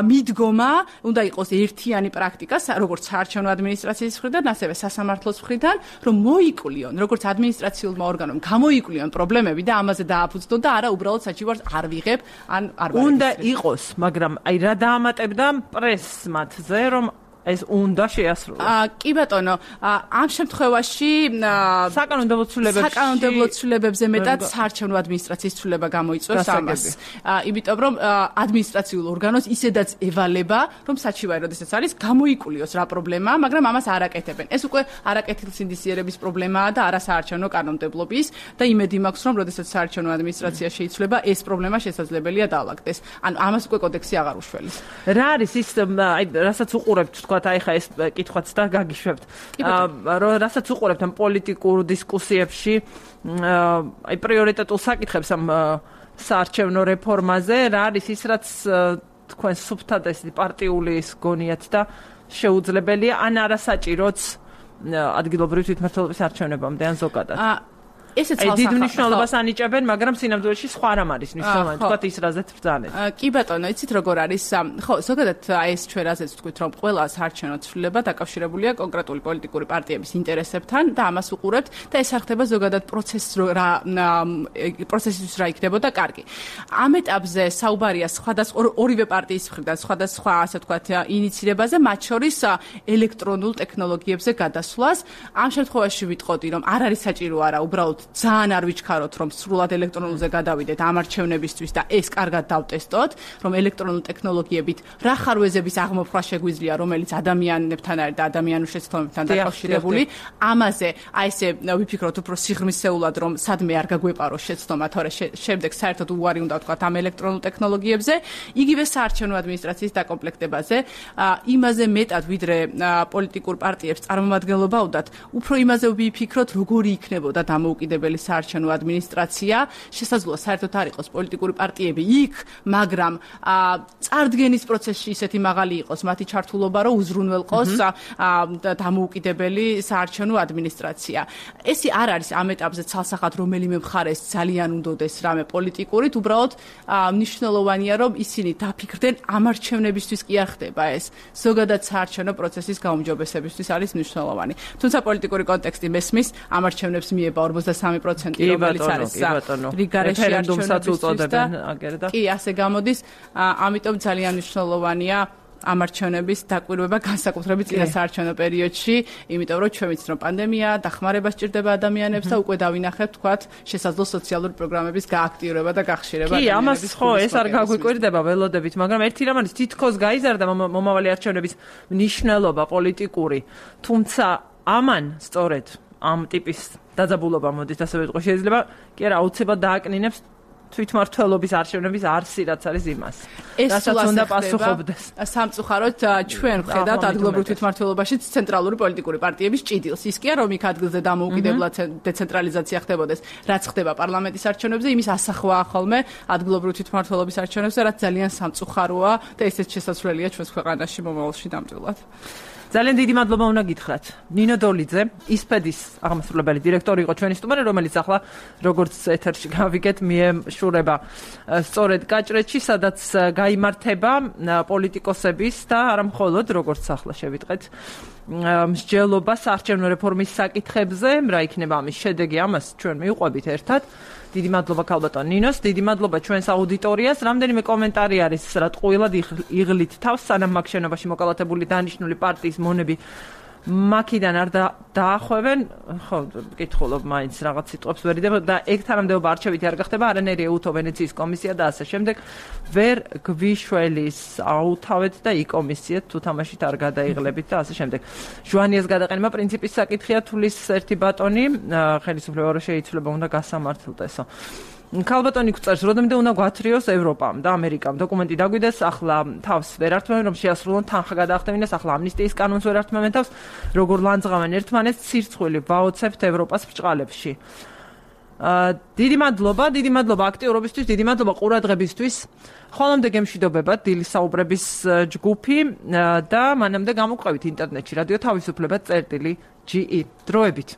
[SPEAKER 1] მიდგომა უნდა იყოს ერთიანი პრაქტიკა, როგორც საარჩევნო ადმინისტრაციის მხრიდან, ასევე სასამართლოს მხრიდან, რომ მოიკლიონ, როგორც ადმინისტრაციულმა ორგანომ გამოიკლიონ პრობლემები და ამაზე დააფუძნონ და არა უბრალოდ საჩივარს არ ვიღებ, ან არ ვარ. უნდა იყოს, მაგრამ აი რა დაამატებდა პრესს მათზე, რომ ეს უნდა შეასრულოს.
[SPEAKER 8] აა კი ბატონო, ამ შემთხვევაში
[SPEAKER 1] საკანონმდებლო ცვლილებებში
[SPEAKER 8] საკანონმდებლო ცვლილებებზე მეტად საარჩევნო ადმინისტრაციის ცვლილება გამოიწვევს ამას. იმიტომ რომ ადმინისტრაციულ ორგანოს ისედაც ევალება, რომ საჩივარი როდესაც არის გამოიკულიოს რა პრობლემაა, მაგრამ ამას არ აკეთებენ. ეს უკვე არაკეთილსინდისიერების პრობლემაა და არა საარჩევნო კანონმდებლობის და იმედი მაქვს, რომ როდესაც საარჩევნო ადმინისტრაცია შეიცვლება, ეს პრობლემა შესაძლებელია დაალაგდეს. ანუ ამას უკვე კოდექსი აღარ უშველის.
[SPEAKER 1] რა არის ის, აი, რასაც უყურებთ, თქვათ, აი ხა ეს კითხვაც და გაგიშვებთ. რომ რასაც უყურებთ ამ პოლიტიკურ დისკუსიებში, აი პრიორიტეტულ საკითხებს ამ საარჩევნო რეფორმაზე, რა არის ის, რაც თქვენ სუფთად ეს პარტიული ის გონიათ და შეუძლებელია ან არასაჭიროც ადგილობრივი თვითმმართველობის არჩევნებამდე ან ზოგადად.
[SPEAKER 8] ესეც
[SPEAKER 1] აი დიდ მნიშვნელობას ანიჭებენ, მაგრამ სინამდვილეში სხვა რამ არის მნიშვნელოვანი, თქვათ ის რაზეც ბრძანეთ.
[SPEAKER 8] კი ბატონო, იცით როგორ არის? ხო, ზოგადად აი ეს ჩვენ რაზეც ვთქვით, რომ ყველა საარჩევნო ცვლილება დაკავშირებულია კონკრეტული პოლიტიკური პარტიების ინტერესებთან და ამას უყურებთ და ეს არ ხდება ზოგადად პროცესს რა პროცესისთვის რა იქნებოდა კარგი. ამ ეტაპზე საუბარია სხვადასხვა ორივე პარტიის მხრიდან სხვადასხვა ასე ვთქვათ ინიციირებაზე, მათ შორის ელექტრონულ ტექნოლოგიებზე გადასვლას. ამ შემთხვევაში ვიტყოდი, რომ არ არის საჭირო არა, უბრალოდ ძალიან არ ვიჩქაროთ, რომ სრულად ელექტრონულზე გადავიდეთ ამ არჩევნებისთვის და ეს კარგად დავტესტოთ, რომ ელექტრონული ტექნოლოგიებით რა ხარვეზების აღმოფხვრა შეგვიძლია, რომელიც ადამიანებთან არის და ადამიანურ შეცდომებთან დაკავშირებული. ამაზე აი ესე ვიფიქროთ უფრო სიღრმისეულად, რომ სადმე არ გაგვეპაროს შეცდომა, თორე შემდეგ საერთოდ უარი უნდა ვთქვათ ამ ელექტრონულ ტექნოლოგიებზე, იგივე საარჩევნო ადმინისტრაციის დაკომპლექტებაზე, იმაზე მეტად ვიდრე პოლიტიკურ პარტიებს წარმომადგენლობა უნდათ, უფრო იმაზე ვიფიქროთ, როგორი იქნებოდა დამოუკიდებელი საარჩევნო ადმინისტრაცია, შესაძლოა საერთოდ არ იყოს პოლიტიკური პარტიები იქ, მაგრამ წარდგენის პროცესში ისეთი მაღალი იყოს მათი ჩართულობა, რომ უზრუნველყოს დამოუკიდებელი საარჩევნო ადმინისტრაცია. ეს არ არის ამ ეტაპზე ცალსახად რომელიმე მხარეს ძალიან უნდოდეს რამე პოლიტიკურით, უბრალოდ მნიშვნელოვანია, რომ ისინი დაფიქრდნენ ამ არჩევნებისთვის კი არ ხდება ეს. ზოგადად საარჩევნო პროცესის გაუმჯობესებისთვის არის მნიშვნელოვანი. თუმცა პოლიტიკური კონტექსტი მესმის ამ არჩევნებს მიება ორმოცდასამი პროცენტი, რომელიც არის რიგარეში არჩევნებისთვის და კი, ასე გამოდის, ამიტომ ძალიან მნიშვნელოვანია ამ არჩევნების დაკვირვება განსაკუთრებით წინა საარჩევნო პერიოდში, იმიტომ რომ ჩვენ ვიცით, რომ პანდემია დახმარება სჭირდება ადამიანებს და უკვე დავინახებთ, თქვათ, შესაძლო სოციალური პროგრამების გააქტიურება და გახშირება.
[SPEAKER 1] კი, ამას ხო ეს არ გაგვიკვირდება ველოდებით, მაგრამ ერთი რამ არის, თითქოს გაიზარდა მომავალი არჩევნების მნიშვნელობა პოლიტიკური, თუმცა ამან სწორედ ამ ტიპის დაძაბულობა მოდით ასე ვიტყო, შეიძლება კი არა აუცილებლად დააკნინებს თვითმმართველობის არჩევნების არსი, რაც არის იმას.
[SPEAKER 8] რასაც
[SPEAKER 1] უნდა პასუხობდეს.
[SPEAKER 8] სამწუხაროდ ჩვენ ვხედავთ ადგილობრივ თვითმმართველობაშიც ცენტრალური პოლიტიკური პარტიების ჭიდილს. ის კია რომ იქ ადგილზე დამოუკიდებლად დეცენტრალიზაცია ხდებოდეს, რაც ხდება პარლამენტის არჩევნებზე, იმის ასახვაა ხოლმე ადგილობრივ თვითმმართველობის არჩევნებზე, რაც ძალიან სამწუხაროა და ესეც შესაძლებელია ჩვენს ქვეყანაში მომავალში ნამდვილად.
[SPEAKER 1] ძალიან დიდი მადლობა უნდა გითხრათ. ნინო დოლიძე, ისპედის აღმასრულებელი დირექტორი იყო ჩვენი სტუმარი, რომელიც ახლა როგორც ეთერში გავიგეთ, მიეშურება სწორედ გაჭრეთში, სადაც გაიმართება პოლიტიკოსების და არა მხოლოდ როგორც ახლა შევიტყეთ მსჯელობა საარჩევნო რეფორმის საკითხებზე, რა იქნება ამის შედეგი, ამას ჩვენ მივყვებით ერთად. დიდი მადლობა ქალბატონ ნინოს, დიდი მადლობა ჩვენს აუდიტორიას. რამდენიმე კომენტარი არის, რა ტყუილად იღლით თავს, სანამ მაგ შენობაში მოკალათებული დანიშნული პარტიის მონები მაქიდან არ დაახვევენ, ხო, მკითხულობ მაინც რაღაც სიტყვებს ვერ იდებ და ეგ თანამდებობა არჩევითი არ გახდება, არანაირი ეუთო ვენეციის კომისია და ასე შემდეგ. ვერ გვიშველის აუთავეთ და იკომისიეთ თუ თამაშით არ გადაიღლებით და ასე შემდეგ. ჟვანიას გადაყენება პრინციპის საკითხია, თulis ერთი ბატონი, ხელისუფლება რო შეიცვლება, უნდა გასამართლდესო. ქალბატონი გვწერს, როდემდე უნდა გვათრიოს ევროპამ და ამერიკამ. დოკუმენტი დაგვიდეს, ახლა თავს ვერ ართმევენ, რომ შეასრულონ თანხა გადაახტევინეს, ახლა ამნისტიის კანონს ვერ ართმევენ თავს, როგორ ლანძღავენ ერთმანეთს, ცირცხვილი ვაოცებთ ევროპას ბრჭყალებში. დიდი მადლობა, დიდი მადლობა აქტიურობისთვის, დიდი მადლობა ყურადღებისთვის. ხოლომდე გემშვიდობებათ დილის საუბრების ჯგუფი და მანამდე გამოგყვებით ინტერნეტში რადიო თავისუფლება წერტილი ჯი ი. დროებით.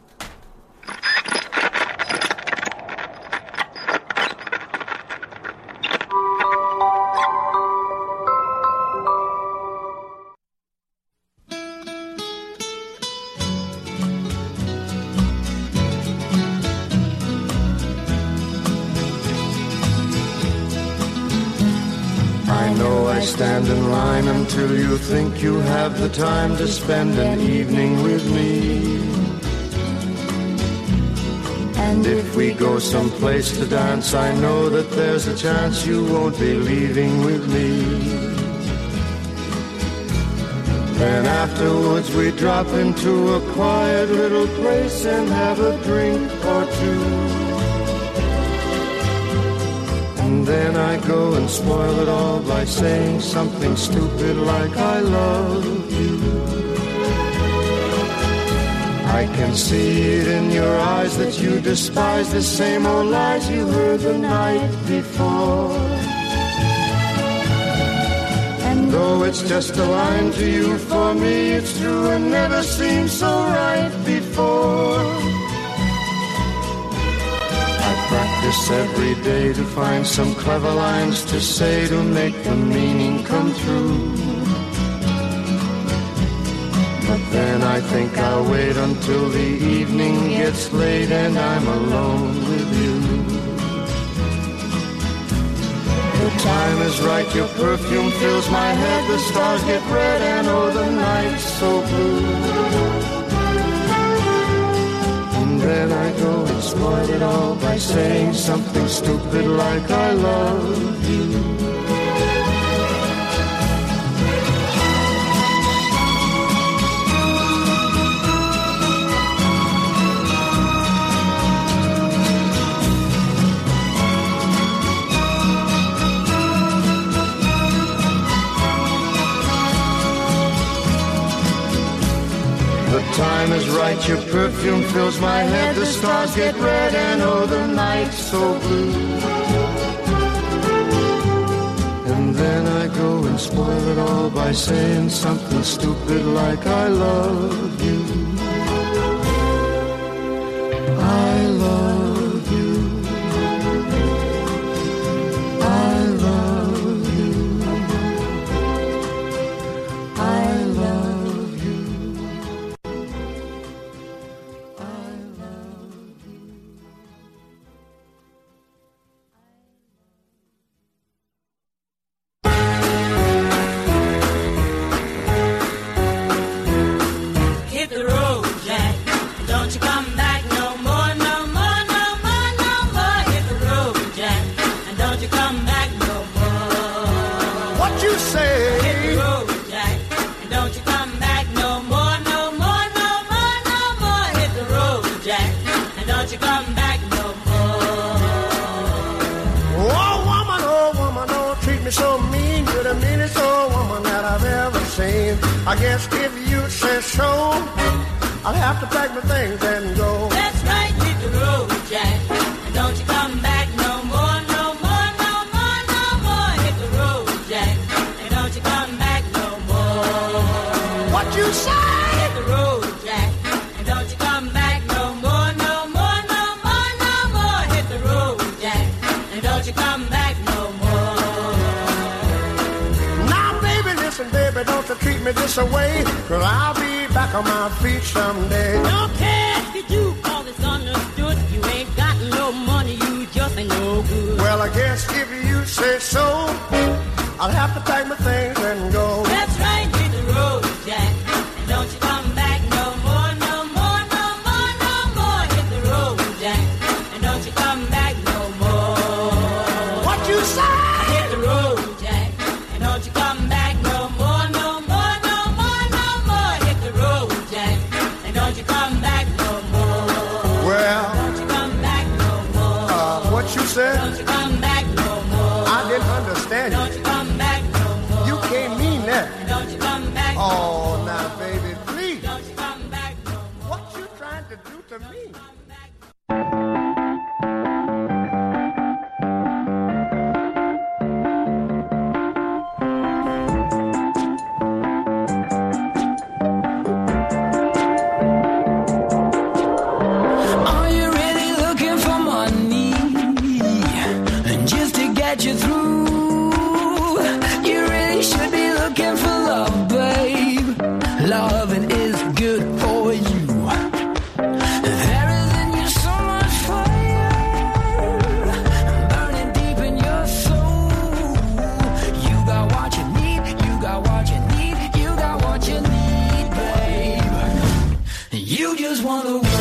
[SPEAKER 10] I know I stand in line until you think you have the time to spend an evening with me. And if we go someplace to dance, I know that there's a chance you won't be leaving with me. Then afterwards we drop into a quiet little place and have a drink or two. And then I go and spoil it all by saying something stupid like I love you. I can see it in your eyes that you despise the same old lies you heard the night before. And though it's just a line to you, for me it's true and never seemed so right before. I practice every day to find some clever lines to say to make the meaning come true. But then I think I'll wait until the evening gets late and I'm alone with you. The time is right, your perfume fills my head, the stars get red and oh the night's so blue. And then I go and spoil it all by saying something stupid like I love you. The time is right, your perfume fills my head, the stars get red and oh the night's so blue. And then I go and spoil it all by saying something stupid like I love you. I love you. I love you. I love you.
[SPEAKER 11] I guess if you say so, I'll have to pack my things and go.
[SPEAKER 12] That's right, hit the road, Jack. And don't you come back no more, no more, no more, no more. Hit the road, Jack. And don't you come back no more.
[SPEAKER 11] What you say?
[SPEAKER 12] Hit the road, Jack. And don't you come back no more, no more, no more, no more. Hit the road, Jack. And don't you come back no more.
[SPEAKER 11] Now, baby, listen, baby, don't you treat me this away, 'cause I'll be back on my feet someday.
[SPEAKER 12] Don't care if you do, cause it's understood. You ain't got no money, you just ain't no good.
[SPEAKER 11] Well, I guess if you say so, I'll have to pack my things and go.
[SPEAKER 12] That's right, hit the road, Jack. And don't you come back no more, no more, no more, no more. Hit the road, Jack. And don't you come back no more.
[SPEAKER 11] What you say?
[SPEAKER 12] Hit the road, Jack. And don't you come back no more, no more, no more, no more. Hit the road, Jack. And don't you come back no more.
[SPEAKER 11] Well,
[SPEAKER 12] don't you come back no more.
[SPEAKER 11] Uh, what you said?
[SPEAKER 12] Don't you come back no more.
[SPEAKER 11] I didn't understand you.
[SPEAKER 12] Don't you come back no more.
[SPEAKER 11] You can't mean that.
[SPEAKER 12] Don't you come back no more.
[SPEAKER 11] Oh, now, baby, please.
[SPEAKER 12] Don't you come back no more.
[SPEAKER 11] What you trying to do to me?
[SPEAKER 13] You through, you really should be looking for love, babe. Loving is good for you. There is in you so much fire, burning deep in your soul. You got what you need. wonder